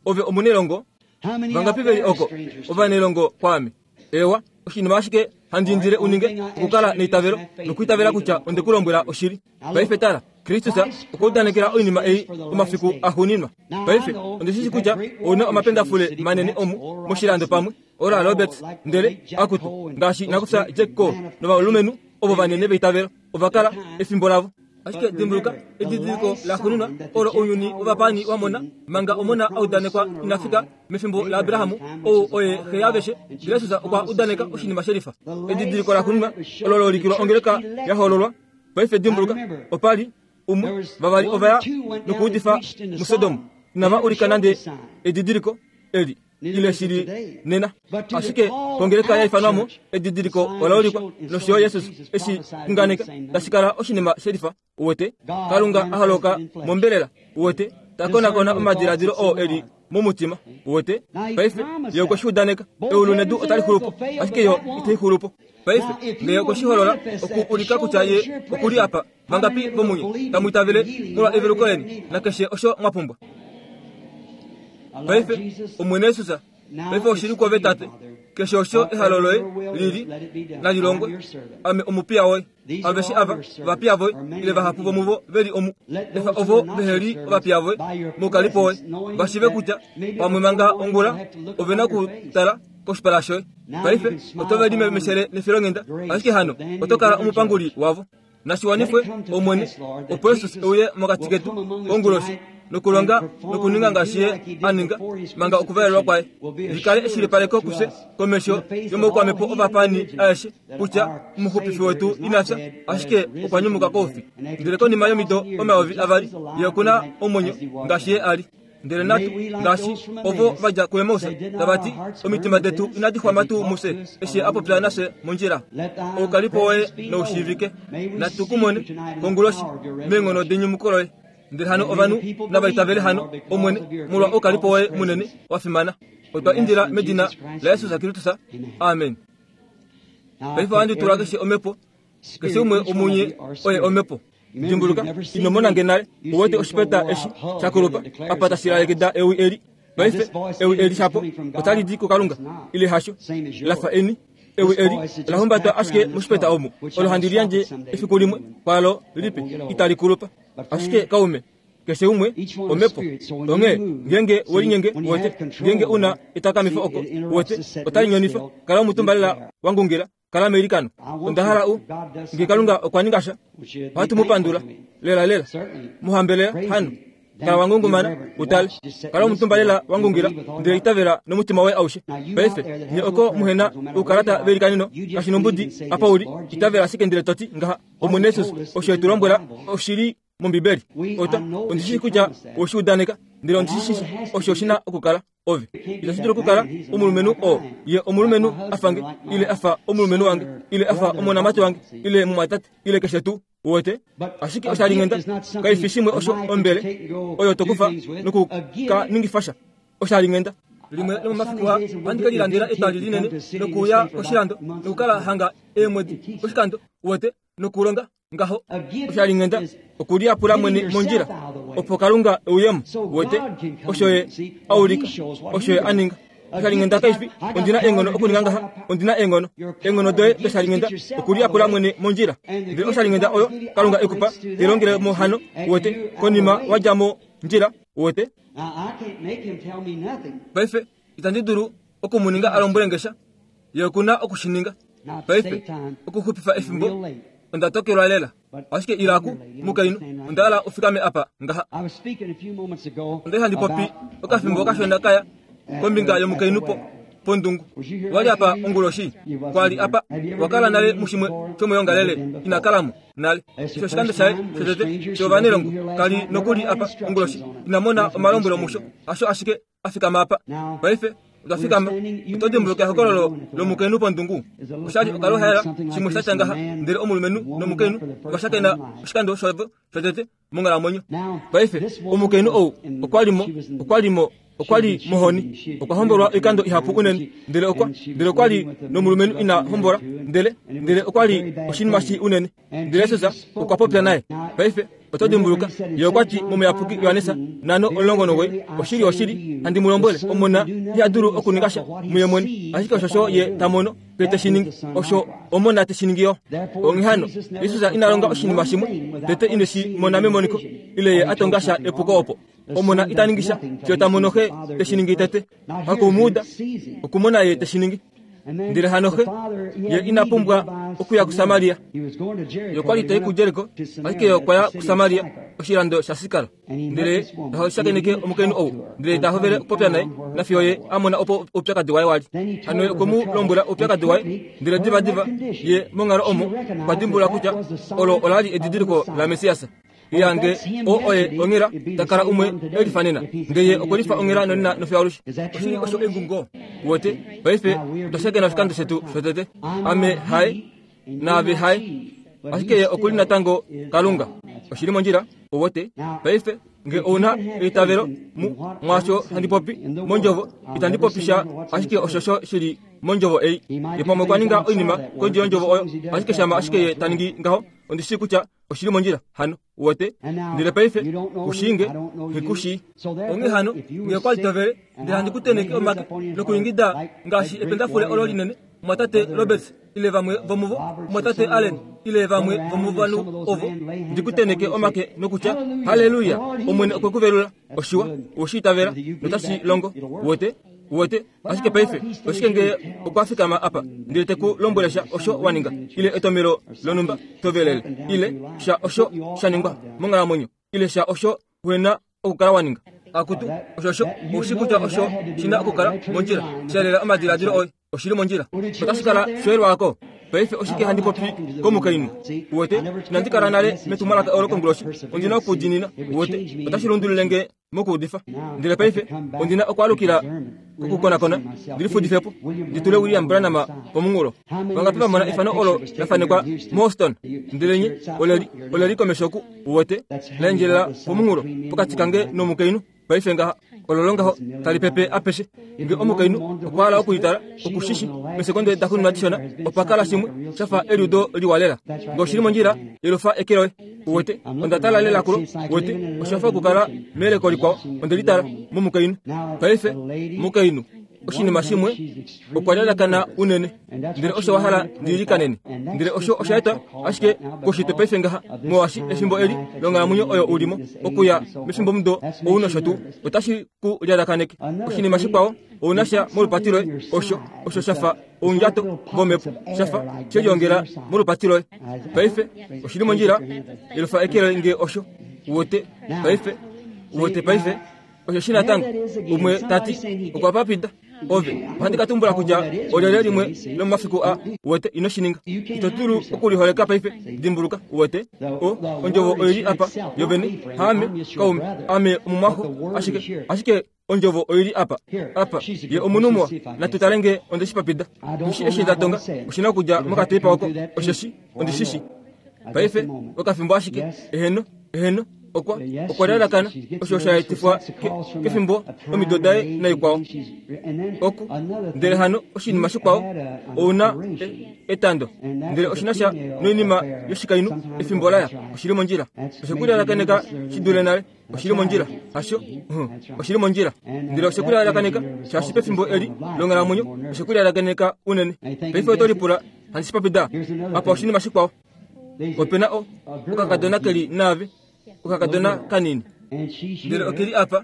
S1: ove omunelongo. Vangapi ve li oko ovanelongo kwaame? Eewa, oshinima ashike handi indile u ninge okukala neitavelo nokwiitavela kutya onde ku lombwela oshili. Paife tala. Kristus okwa udanekela oinima ei omafiku axuuninwa. Paife, ondi shi shii kutya ou na omapendafule manene omu moshilando pamwe, Oral Roberts, ndele, akutu, ngaashi nakufya Jack Coe novalumenhu ovo vanene veitavelo, ova kala efimbo lavo. Ashike dimbuluka, edidiliko laxuuninwa olo ounyuni wovapaani wa mona, manga Omona a udanekwa ina fika mefimbo laAbraham, ou oye xe yaaveshe, Jesus okwa udaneka oshinima shelifa. Edidiliko laxuuninwa olo la ulikilwa ongeleka ya hoololwa. Paife dimbuluka, opa li umwe, vavali ova ya nokuudifa muSodom, inava ulika nande edidiliko eli. ile shi li nena. Ashike kongeleka ya ifanwa mo, edidiliko ola ulikwa, nosho yo Jesus eshi xunganeka, tashi kala oshinima shelifa, uwete, Kalunga a holoka mombelela, uwete, ta konakona omadiladilo oo e li momutima, uwete. Paife, Ye okwe shi udaneka, eulu nedu otali xulu po, ashike yo itai xulu po. Paife, nge okwe shi holola, oku ulika kutya Ye oku li apa, vangapi vomunye tamu itavele molwa eveluko leni nakeshe osho mwa pumbwa? Paife, Omwene Jesus, paife oshi li kwove, Tate. Keshe osho ehalo loye li li, nali longwe. Ame omupiya woye. Aveshe ava ovapiya voye, ile vahapu vomuvo ve li omu. Efa ovo vehe li ovapiya voye moukalipo woye, va shiive kutya pamwe manga ongula ove na okutala koshipala shoye. Paife oto ve limemeshele nefilonghenda, ashike hano oto kala omupanguli wavo. Nashi wanifwe, Omwene, opo Jesus e uye mokati ketu konguloshi nokulonga nokuninga ngaashi Ye a ninga manga okuvalelwa kwaye. Li kale eshilipaleko kufye komesho yomaukwamhepo ovapaani aeshe kutya Omuxupifi wetu ina fya, ashike okwa nyumuka koufi. Ndele konima yomido 2000, Ye oku na omwenyo ngaashi Ye a li. Ndele natu, ngaashi ovo va dja kuEmaus, tava ti, Omitima detu inadi xwama tuu mufye, eshi a popya nafye mondjila? Oukalipo woye nau shiivike. Natu ku mone konguloshi meenghono denyumuko loye. Ndele hano ovanhu nava itavele hano, Omwene, molwa oukalipo woye munene wa fimana. Otwa indila medina laJesus Kristus. Amen. Paife ohandi tula keshe omhepo, keshe umwe womunye oye omhepo. Dimbuluka, ino mona nge nale, u wete oshipeta eshi sha kulupa apa tashi lalekida ewi eli. Paife, ewi eli shapo otali di kuKalunga, ile hasho? La fa eni. Ewi eli ola humbatwa ashike moshipeta omu, olo handi liyandje efiku limwe kwaalo lipe, itali kulupa. Ashike kaume, keshe umwe, omhepo. Onghee, ngeenge we linyenge, uwete, ngeenge u na etakamifo oko, uwete, otali nyonifa. Kala omutumba lela wa ngungila. Kala meilikano. Onda hala u. Nge Kalunga okwa ninga sha, ohatu mu pandula. Lela lela. Mu hambelela, hano. Kala wa ngungumana, u tale. Kala omutumba lela wa ngungila, ndele itavela nomutima woye aushe. Paife, nye oko muhe na oukalata veilikaneno, kashi nombudi apa u li, itavela ashike ndele to ti ngaha, Omwene Jesus, osho e tu lombwela oshi li mOmbibeli. Ota, ondi shii kutya owe shi udaneka, ndele ondi shi shii osho shi na okukala. Ove itashi dulu okukala omulumenhu oo ye omulumenhu a fa nge, ile a fa omulumenhu wange, ile a fa omonamati wange, ile mumwatate, ile keshe tuu. Uwete? Ashike oshalinghenda kai fi shimwe osho ombele oyo to kufa noku ka ningifa sha. Oshalinghenda. Limwe lomomafiku aa ohandi ke lilandela etwali linene nokuuya koshilando nokukala hanga eemwedi poshikando, uwete, nokulonga ngaho. Oshalinghenda okuliyapula mwene mondjila opo Kalunga e uye mo. Uwete osho Ye a ulika, osho Ye a ninga. Oshalinghenda kai fi ondi na eenghono okuninga ngaha, ondi na eenghono. Eenghono doye doshalinghenda okuliyapula mwene mondjila. Ndele oshalinghenda oyo Kalunga e ku pa, te longele mo hano, uwete, konima wa dja mondjila, uwete. Paife, itandi dulu oku mu ninga a lombwele nge sha. Ye oku na oku shi ninga. Paife, okuxupifa efimbo, onda tokelwa lela. Ashike ila ku, mukainhu, onda hala u fikame apa, ngaha. Onda li handi popi okafimbo kashona kaya kombinga yomukainhu po, pondungu. Wa li apa onguloshi? Kwa li apa. Wa kala nale mushimwe shomoyoongalele? Ina kala mo nale. Osho oshikando shaye shotete shovanelongo. Ka li nokuli apa onguloshi. Ina mona omalombwelo musho. Hasho ashike a fikama apa. Paife, otwa fikama. Oto dimbuluka ehokololo lomukainhu pondungu? Osha li okaluhaela, shimwe sha tya ngaha, ndele omulumenhu nomukainhu ova shakena oshikando shavo shotete monghalamwenyo. Paife, omukainhu ou okwa li mo, okwa li mo. Okwa li mohoni. Okwa hombolwa oikando ihapu unene. Ndele okwa, ndele okwa li nomulumenhu ina hombola. Ndele, ndele okwa li oshinima shii unene. Ndele Jesus okwa popya naye. Paife, oto dimbuluka, Ye okwa ti mOmuyapuki Johannes 5:19, Oshili, oshili, handi mu lombwele, Omona iha dulu okuninga sha muye mwene, ashike oshosho Ye ta mono, ye te shi ningi, osho Omona te shi ningi yo. Onghee hano, Jesus ina longa oshinima shimwe tete ine shi mona memoniko, ile Ye a tonga sha epuko opo. Omona ita ningi sha fiyo ta mono Xe te shi ningi tete. Haku mu uda, okumona Ye te shi ningi. Ndele hano Xe, Ye ina pumbwa okuya kuSamaria. Ye okwa li ta i kuJeriko, ashike Ye okwa ya kuSamaria, oshilando shaSikar. Ndele Ye ta shakeneke omukainhu ou, ndele Ye ta hovele okupopya naye, nafiyo Ye a mona opo oupyakadi waye wa li. Hano Ye okwe mu lombwela oupyakadi waye, ndele divadiva Ye monghalo omo okwa dimbulula kutya olo ola li edidiliko laMessias. Yange o oye onghela ta kala umwe e lifa nena ndele ye okwe lifa onghela nonena nofiyo alushe. Oshili osho engungo. Wote, paife otwa shakena oshikando shetu shotete. Ame haye, naave haye. Ashike ye oku li natango Kalunga. Oshili mondjila, owote. Paife, nge ou na eitavelo mu, mwaasho handi popi, mondjovo, itandi popi sha ashike oshosho shi li mondjovo ei. Ye pamwe okwa ninga oinima kondje yondjovo oyo, ashike shama ashike ye ta ningi ngaho, ondi shii kutya Oshi li mondjila hano, uwete. Ndele paife, ku shii nge, nghi ku shii. Onghee hano, nge okwa li to vele, ndele handi ku tenheke omake nokuingida ngaashi ependafule olo linene, Mumwatate Roberts ile vamwe vomuvo, Mumwatate Allen ile vamwe vomovanhu ovo, ndi ku tenheke omake nokutya, Halleluya! Omwene okwe ku velula. Oshiwa, owe shi itavela, notashi longo. Uwete? Uwete? Ashike paife, oshike nge okwa fikama apa ndele te ku lombwele sha osho wa ninga, ile etomelo lonhumba to velele, ile sha osho sha ningwa monghalamwenyo, ile sha osho uhe na okukala wa ninga? Akutu, osho osho, ou shii kutya osho shi na okukala mondjila, sha lela omadiladilo oye. Oshi li mondjila. Otashi kala shoelwako. Paife oshike handi popi komukainhu? Uwete, inandi kala nale metumwalaka olo konguloshi. Ondi na okudiinina. Uwete, otashi lundulule nge mokuudifa. Ndele paife ondi na okwaalukila kokukonakona, ndi lifudife po, ndi tule William Branham pomunghulo. Vangapi va mona efano olo la fanekwa muHouston? Ndele nye, ole li, ole li komesho oku, uwete, la endjelela pomunghulo, pokati kange nomukainhu. Paife ngaha, ololo ngaho tali pepe apeshe. Nge omukainhu okwa hala oku li tala, oku shi shi. Mesekonde daxuuninwa dishona, opa kala shimwe sha fa eliudo liwa lela. Nge oshi li mondjila, yelufa eke loye. Uwete, onda tala lela kulo. Uwete, osha fa okukala meyeleko likwao. Onde li tala momukainhu. Paife, mukainhu, oshinima shimwe, okwa lalakana unene. Ndele osho wa hala ndi ilikanene. Ndele osho osha etwa ashike koushitwe paife ngaha, molwaashi efimbo eli longhalamwenyo oyo u li mo, okuya mefimbomudo ou nosho tuu, otashi ku lyalakaneke. Oshinima shikwao, ou na sha molupati loye, osho, osho sha fa oundjato vomhepo, sha fa she liongela molupati loye. Paife, oshi li mondjila, yelufa eke loye nge osho. Uwete? Paife, uwete paife? Osheshi natango umwe ta ti, Okwa papida ove. Ohandi ka tumbula kutya olyelye limwe lomomafiku a uwete ino shi ninga. Ito dulu okuliholeka paife. Dimbuluka, uwete, o, ondjovo oi li apa yovene. Haame, kaume, ame omumwaxo, ashike, ashike ondjovo oi li apa. Apa, ye omunhu muwa. Natu tale nge onde shi papida. Nghi shi eshi nda tonga, oshi na okudja mokateipa oko, osheshi ondi shi shi. Paife, okafimbo ashike. Eheno, eheno. Okwa, okwa lalakana osho sha etifwa ke, kefimbo omido daye naikwao. Oku, ndele hano oshinima shikwao, ou na e, etando. Ndele oshi na sha noinima yoshikainhu, efimbo laya. Oshi li mondjila. Oshe ku lalakaneka shi dule nale. Oshi li mondjila. Hasho? Uh, oshi li mondjila. Ndele oshe ku lalakaneka, shaashi pefimbo eli longhalamwenyo, oshe ku lalakaneka unene. Paife oto lipula, handi shi popida? Apa oshinima shikwao. Ope na o, okakadona ke li naave, okakadona kanini. Ndele oke li apa,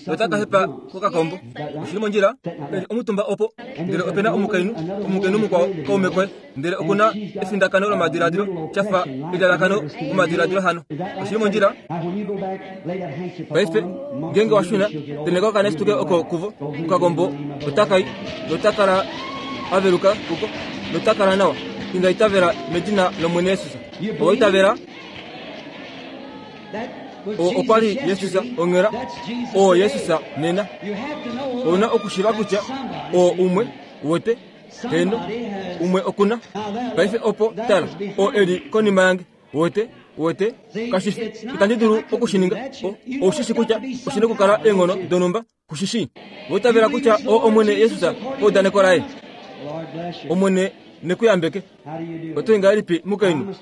S1: notaka hepa kokakombo. Oshi li mondjila, e li omutumba opo. Ndele ope na omukainhu, omukainhu mukwao, kaume koye. Ndele oku na efindakano lomadiladilo, sha fa elalakano momadiladilo hano. Oshi li mondjila. Paife, ngeenge wa shuna, tenheka okanesutuke oko kuvo, okakombo otaka i, nota kala a veluka kuko, nota kala nawa. Inda itavela medina lOmwene Jesus. Owa itavela? Oo okwa li Jesus onghela. Oo Jesus nena. Ou na okushiiva kutya oo umwe, uwete, heeno, umwe oku na. Paife opo, tala, oo e li konima yange. Uwete? Uwete? Kashi fi, itandi dulu oku shi ninga. Ou shi shi kutya oshi na okukala eenghono donhumba, ku shi shii. Owa itavela kutya oo Omwene Jesus paudaneko Laye? Omwene ne ku yambeke. Oto i ngahelipi, mukainhu?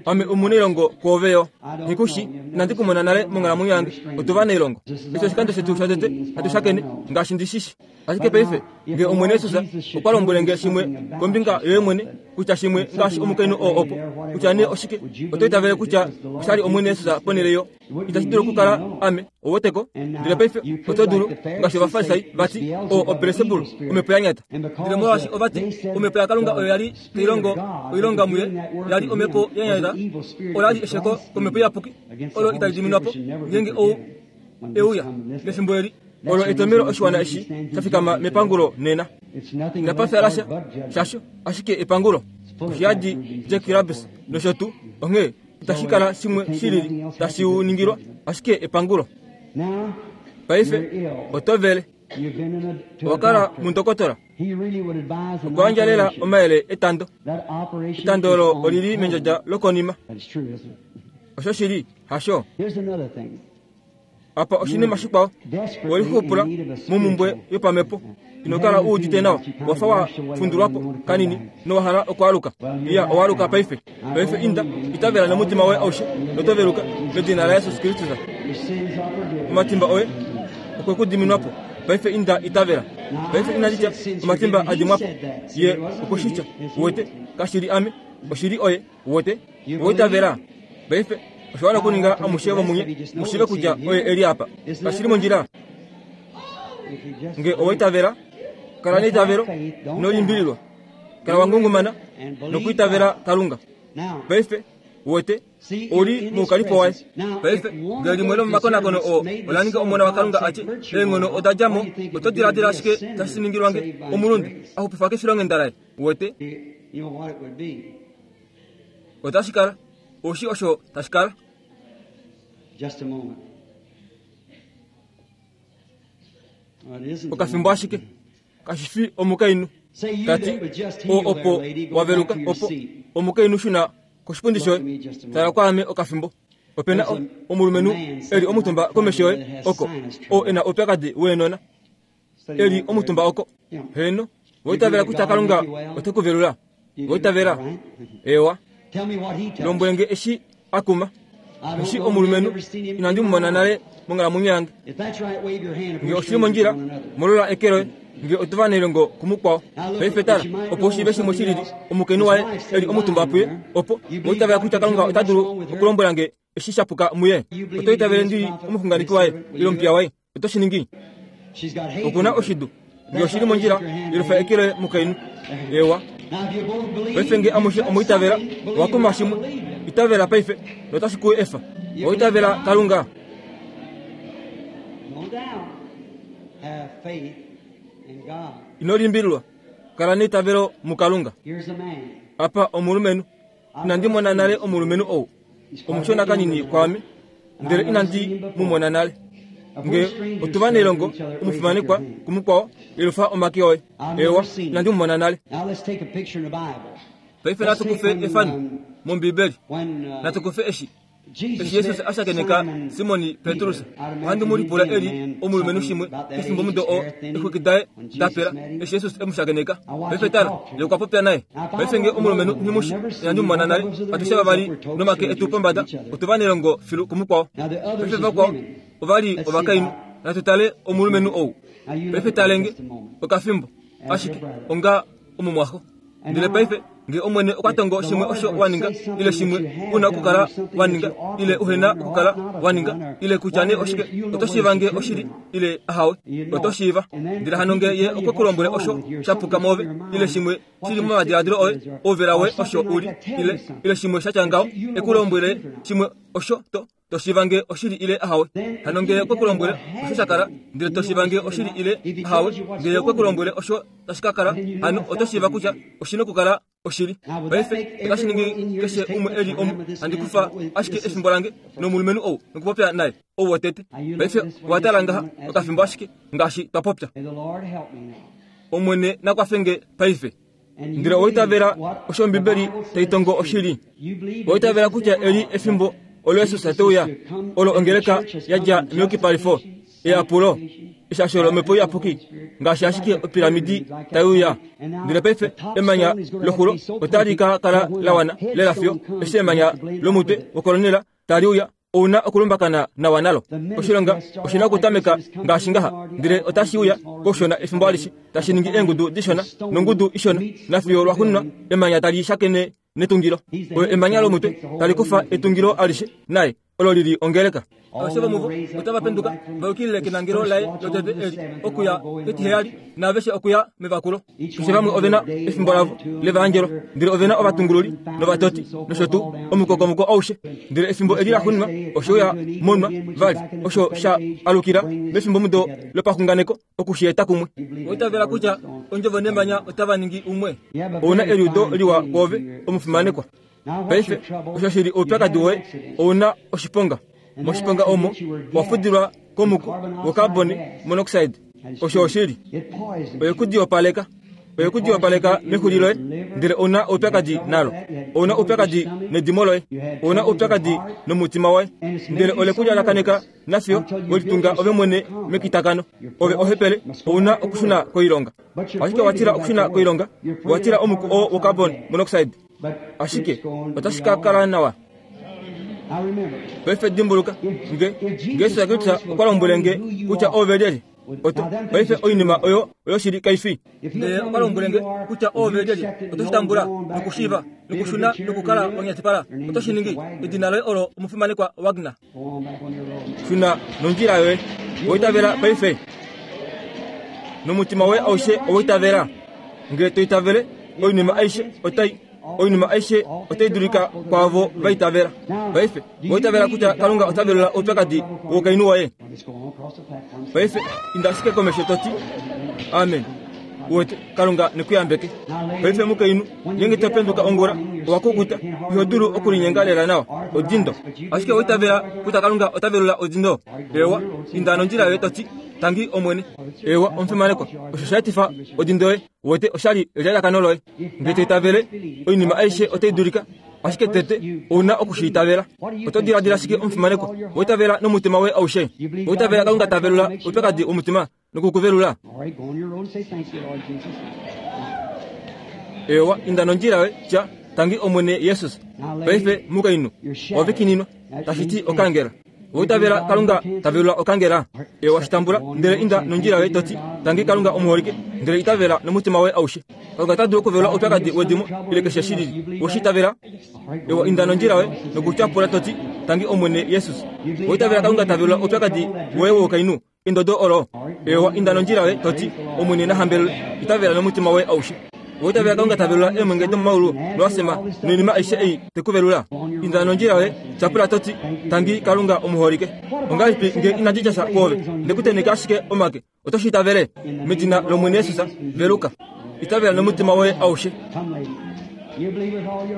S1: Ame omunailongo kwoove yo. Nghi ku shi, inandi ku mona nale monghalamwenyo yange. Otu va nailongo. Eshi oshikando shetu shotete hatu shakene, ngaashi ndi shi shi. Ashike paife, nge Omwene Jesus okwa lombwele nge shimwe kombinga yoye mwene, kutya shimwe ngaashi omukainhu oo opo, kutya nee oshike, oto itavele kutya osha li Omwene Jesus ponhele yo? Itashi dulu okukala ame, ou weteko. Ndele paife oto dulu, ngaashi Ovafarisai va ti, O, oBelsebul, omhepo ya nyata. Ndele molwaashi ova ti, Omhepo yaKalunga oyo ya li tai longo oilonga muye, ya li omhepo ya nyata, ola li esheko kOmhepo Iyapuki, olo itali diminwa po, ngeenge ou e uya mefimbo eli. Olo etomhelo oshiwana eshi sha fikama mepangulo nena. Inapa fya lasha shasho, ashike epangulo. Oshi yadi Jack Rabbis nosho tuu, onghee itashi kala shimwe shi lili tashi u ningilwa, ashike epangulo. Paife oto vele. Owa kala mundokotola. Okwa yandja lela omayele etando. Etando olo oli li mendjadja lokonima. Osho shili, hasho? Apa oshinima shikwao, we lixupula momhumbwe yopamhepo. Ino kala u udite nawa, wa fa wa fundulwa po kanini nowa hala okwaaluka. Iya, owa aluka paife. Paife inda, itavela nomutima woye aushe, noto veluka, medina laJesus Kristus. Omatimba oye okwe ku diminwa po. Paife inda, itavela. Paife inandi tya omatimba a dimwa po. Ye okwe shi tya. Uwete, kashi li ame, oshi li oye. Uwete? Owa itavela? Paife, osha wana okuninga amushe vomunye mu shiive kutya oye e li apa. Kashi li mondjila? Nge owa itavela, kala neitavelo, ino limbililwa. Kala wa ngungumana nokwiitavela Kalunga. Paife, uwete, ou li moukalipo waye. Paife, ngee limwe lomomakonakono oo ola ninga Omona waKalunga a tye, Eenghono oda dja mo, oto diladila ashike tashi ningilwa nge omulunde a xupifwa kefilonghenda laye? Uwete? Otashi kala. Oshi osho tashi kala. Okafimbo ashike. Kashi fi omukainhu. Ta ti, O, opo wa veluka, opo omukainhu shuna koshipundi shoye. Tala kwaame okafimbo. Ope na omulumenhu e li omutumba komesho yoye oko, oo e na oupyakadi weenona. E li omutumba oko. Heeno, owa itavela kutya Kalunga ote ku velula? Owa itavela? Eewa. Lombwele nge eshi a kuma. Eshi omulumenhu inandi mu mona nale monghalamwenyo yange. Nge oshi li mondjila, molola eke loye, nge otu va nelongo kumukwao. Paife tala, opo u shiive shimwe shi lili, omukainhu waye e li omutumba puye, opo, owa itavela kutya Kalunga ota dulu okulombwela nge eshi sha puka muye? Oto itavele ndi li omuxunganeki waye, ile omupiya waye? Oto shi ningi? Oku na oshidu. Nge oshi li mondjila, yelufa eke loye, mukainhu. Ewa. Paife nge amushe omwa itavela, owa kuma shimwe. Itavela paife, notashi ku efa. Owa itavela Kalunga. Ino limbililwa. Kala neitavelo muKalunga. Apa omulumenhu. Inandi mona nale omulumenhu ou. Omushona kanini kwaame, ndele inandi mu mona nale. Nge otu va nelongo, omufimanekwa kumukwao, yelufa omake oye. Eewa, inandi mu mona nale. Paife natu kufe efano mOmbibeli. Natu kufe eshi. Eshi Jesus a shakeneka Simon Petrus, ohandi mu lipula e li omulumenhu shimwe pefimbo mudo oo eexwiki daye da pela, eshi Jesus e mu shakeneka. Paife tala, ye okwa popya naye. Paife nge omulumenhu nghi mu shi, inandi mu mona nale, atushe vavali nomake etu pombada, otu va nelongo filu kumukwao. Paife vakwao ova li ovakainhu. Natu tale omulumenhu ou. Paife talenge okafimbo, ashike onga omumwaxo. Ndele paife, nge Omwene okwa tongo shimwe osho wa ninga, ile shimwe u na okukala wa ninga, ile uhe na okukala wa ninga, ile kutya nee oshike, oto shiiva nge oshili ile ahawe. Oto shiiva. Ndele hano nge Ye okwe ku lombwele osho sha puka moove, ile shimwe shi li momadiladilo oye, ouvela woye osho u li, ile, ile shimwe sha tya ngaho, e ku lombwele shimwe osho to, To shiiva nge oshili ile ahawe. Hano ngee okwe ku lombwele osho sha kala, ndele to shiiva nge oshili ile ahawe, ngee okwe ku lombwele osho tashi ka kala, hano oto shiiva kutya oshi nokukala oshili. Paife, otashi ningi keshe umwe e li omu, handi kufa ashike efimbo lange nomulumenhu ou nokupopya naye, ou wotete. Paife, owa tala ngaha okafimbo ashike, ngaashi twa popya. Omwene na kwafe nge paife. Ndele owa itavela osho Ombibeli tai tongo oshili. Owa itavela kutya eli efimbo olo Jesus te uya, olo ongeleka ya dja meyukipalifo, eyapulo, eshasho lOmhepo Iyapuki, ngaashi ashike opiramidi tai uya. Ndele paife emanya loxulo otali ka kala la wana lela fiyo eshi emanya lomutwe wokolonela tali uya ou na okulumbakana nawa nalo. Oshilonga oshi na okutameka ngaashi ngaha, ndele otashi uya koushona efimbo alishe, tashi ningi eengudu dishona nongudu ishona, nafiyo lwaxuuninwa emanya tali shakene netungilo. Oyo emanya lomutwe tali kufa etungilo alishe, naye olo li li ongeleka. Aveshe vomuvo otava penduka va yukilile kenangelo laye lotete eli, okuya ketiheyali, naaveshe okuya mevakulo. Keshe vamwe ove na efimbo lavo levaangelo, ndele ove na ovatungululi novatoti nosho tuu omukokomoko aushe. Ndele efimbo eli laxuuninwa oshe uya monwa vali, osho sha alukila mefimbomudo lopaxunganeko oku shi eta kumwe. Oitavela kutya ondjovo nemanya otava ningi umwe. Ou na eliudo liwa kwoove, omufimanekwa. Paife, osho shi li oupyakadi woye, ou na oshiponga. Moshiponga omo wa fudilwa komuku wocarbon monoxide. Osho oshili. Oye ku diyopaleka. Oye ku diyopaleka mexuli loye, ndele ou na oupyakadi nalo. Ou na oupyakadi nedimo loye. Ou na oupyakadi nomutima woye. Ndele ole ku lyalakaneka nafiyo we litunga ove mwene mekitakano. Ove ohepele, ou na okushuna koilonga. Ashike wa tila okushuna koilonga, wa tila omuku oo wocarbon monoxide. Ashike otashi ka kala nawa. Paife dimbuluka, nge, nge Jesus Kristus okwa lombwele nge kutya oove lyelye, oto, paife oinima oyo oyoshili kai fi. Ndele okwa lombwele nge kutya oove lyelye, oto shi tambula nokushiiva nokushuna nokukala wa nyatipala, oto shi ningi. Edina loye olo omufimanekwa Wagner. Shuna nondjila yoye. Owa itavela paife? Nomutima woye aushe owa itavela? Nge to itavele, oinima aishe otai oinima aishe otai dulika kwaavo va itavela. Paife, owa itavela kutya Kalunga ota velula oupyakadi woukainhu woye? Paife, inda ashike komesho to ti, Amen. Uwete, Kalunga ne ku yambeke. Paife mukainhu, ngeenge to penduka ongula, owa kukuta, iho dulu okulinyenga lela nawa, odindo. Ashike owa itavela kutya Kalunga ota velula odindo? Eewa, inda nondjila yoye to ti, Tangi Omwene. Eewa, omufimanekwa, osho sha etifa odindo yoye. Uwete, osha li elalakano loye. Nge to itavele, oinima aishe otai dulika. Ashike tete ou na oku shi itavela. Oto diladila shike omufimanekwa? Owa itavela nomutima woye aushe? Owa itavela Kalunga ta velula oupyakadi womutima noku ku velula? Eewa, inda nondjila yoye, tya, Tangi Omwene Jesus. Paife, mukainhu, ove kininwa, tashi ti okangela. Owa itavela Kalunga ta velula okangela? Ewa, shi tambula, ndele inda nondjila yoye to ti, Tangi Kalunga omuholike, ndele itavela nomutima woye aushe. Kalunga ota dulu okuvelula oupyakadi wedimo ile keshe shi lili. Owe shi itavela? Ewa, inda nondjila yoye nokutyapula to ti, Tangi Omwene Jesus. Owa itavela Kalunga ta velula oupyakadi woye woukainhu? Endodo olo. Ewa, inda nondjila yoye, to ti, Omwene na hambelelwe. Itavela nomutima woye aushe. Owa itavela Kalunga ta velula eemwenge domomaulu noasema noinima aishe ei te ku velula? Inda nondjila yoye, tyapula to ti, Tangi Kalunga omuholike. Ongahelipi nge inandi tya sha kwoove, nde ku tenheka ashike omake, oto shi itavele? Medina lOmwene Jesus, veluka. Itavela nomutima woye aushe.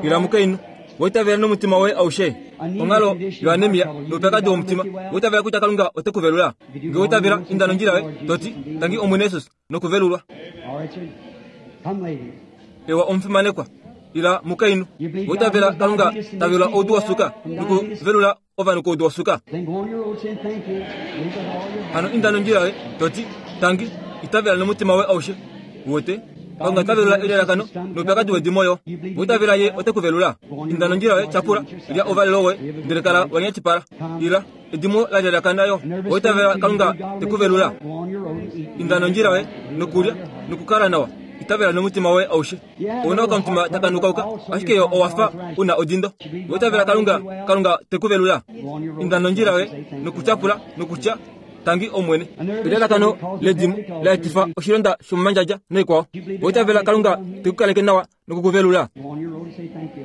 S1: Ila mukainhu. Owa itavela nomutima woye aushe? Onghalo yoanemia noupyakadi womutima. Owa itavela kutya Kalunga ote ku velula? Nge owa itavela, inda nondjila yoye, to ti, Tangi Omwene Jesus, nokuvelulwa. Ewa omufimanekwa. Ila mukainhu. Owa itavela Kalunga ta velula oudu wosuka nokuvelula ovanhu koudu wosuka? Hano inda nondjila yoye, to ti, Tangi, itavela nomutima woye aushe. Uwete? Kalunga ota velula elalakano noupyakadi wedimo yo. Oitavela ye ote ku velula. Inda nondjila yoye, tyapula, lya ouvalelo woye, ndele kala wa nyatipala. Ila, edimo la lyalakana yo. Oitavela Kalunga te ku velula. Inda nondjila yoye, nokulya, nokukala nawa. Itavela nomutima woye aushe. Ou na okamutima taka nukauka, ashike yo owa fa u na odindo. Oitavela Kalunga, Kalunga te ku velula. Inda nondjila yoye, nokutyapula, nokutya, Tangi Omwene. Elalakano ledimo la etifa oshilonda shomomandjadja noikwao. Oitavela Kalunga te ku kaleke nawa noku ku velula.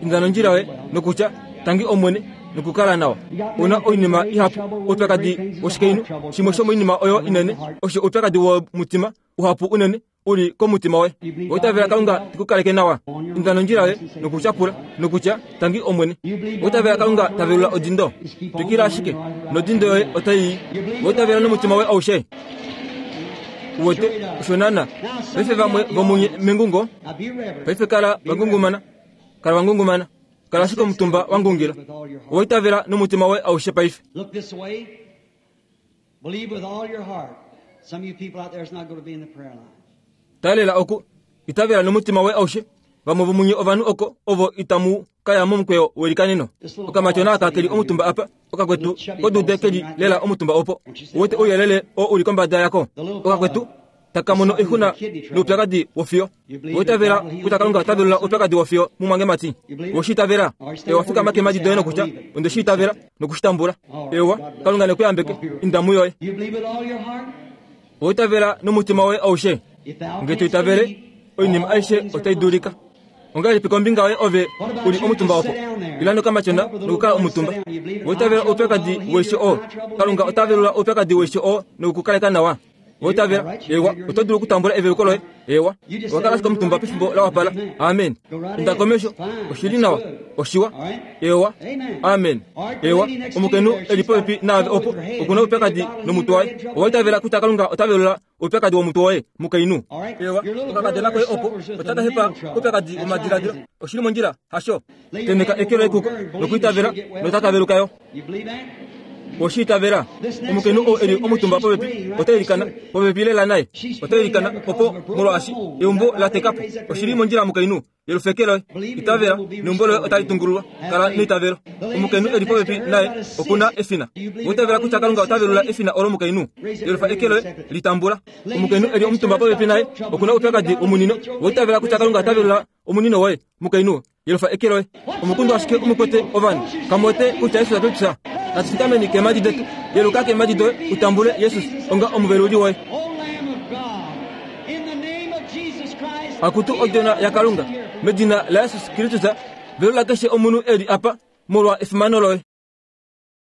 S1: Inda nondjila yoye nokutya, Tangi Omwene, nokukala nawa. Ou na oinima ihapu, oupyakadi woshikainhu, shimwe shomoinima oyo inene osho oupyakadi womutima uhapu unene u li komutima woye. Oitavela Kalunga te ku kaleke nawa. Inda nondjila yoye nokutyapula nokutya, Tangi Omwene. Oitavela Kalunga ta velula odindo. Twikila ashike, nodindo yoye otai i. Oitavela nomutima woye aushe. Uwete, osho naana. Paife vamwe vomunye mengungo, paife kala va ngungumana. Kala wa ngungumana. Kala ashike omutumba wa ngungila. Owa itavela nomutima woye aushe paife.
S2: Look this way. Believe with all your heart. Some of you people out there is not going to be in the prayer line.
S1: Talela oku, itavela nomutima woye aushe. Vamwe vomunye ovanhu oko ovo itamu ka ya momukweyo welikaneno. Okamatyona aka keli omutumba apa, okakwetu kodude keli lela omutumba opo. Uwete ouyelele oo u li kombada yako? Okakwetu taka mono oixuna noupyakadi wofiyo. Owa itavela kutya Kalunga ota velula oupyakadi wofiyo mumwangemati? Owe shi itavela? Ewa, fikama keemhadi doye nokutya, Onde shi itavela noku shi tambula. Ewa, Kalunga ne ku yambeke. Inda muyoye. Owa itavela nomutima woye aushe? Nge to itavele, oinima aishe otai dulika. Ongahelipi kombinga yoye ove u li omutumba opo? Ila nokamatyona nokukala omutumba. Owa itavela oupyakadi weisho oo? Kalunga ota velula oupyakadi weisho oo noku ku kaleka nawa. Owa itavela? Eewa, oto dulu okutambula eveluko loye. Eewa, owa kala ashike omutumba pefimbo la wapala. Amen. Inda komesho. Oshi li nawa. Oshiwa. Eewa. Amen. Eewa, omukainhu e li popepi naave opo, oku na oupyakadi nomutwe waye. Owa itavela kutya Kalunga ota velula oupyakadi womutwe woye, mukainhu? Eewa, okakadona koye opo otaka hepa koupyakadi womadiladilo. Oshi li mondjila, hasho? Tenheka eke loye kuko nokwiitavela, notaka veluka yo. Oshi itavela? Omukainhu oo e li omutumba popepi ota ilikana, popepi lela naye. Ota ilikana opo molwaashi eumbo la teka po. Oshi li mondjila mukainhu, yelufeke loye. Itavela, neumbo loye otali tungululwa. Kala neitavelo. Omukainhu e li popepi naye oku na efina. Owa itavela kutya Kalunga ota velula efina olo mukainhu? Yelufa eke loye, li tambula. Omukainhu e li omutumba popepi naye oku na oupyakadi womunino. Owa itavela kutya Kalunga ota velula omunino woye, mukainhu? Yelufa eke loye. Omukundu ashike omukwete ovanhu. Kamu wete kutya Jesus ota tya, Natu fikameni keemhadi detu. Yeluka keemhadi doye u tambule Jesus onga omuveluli woye. Akutu Odjona yaKalunga, medina laJesus Kristus, velula keshe omunhu e li apa molwa efimano loye.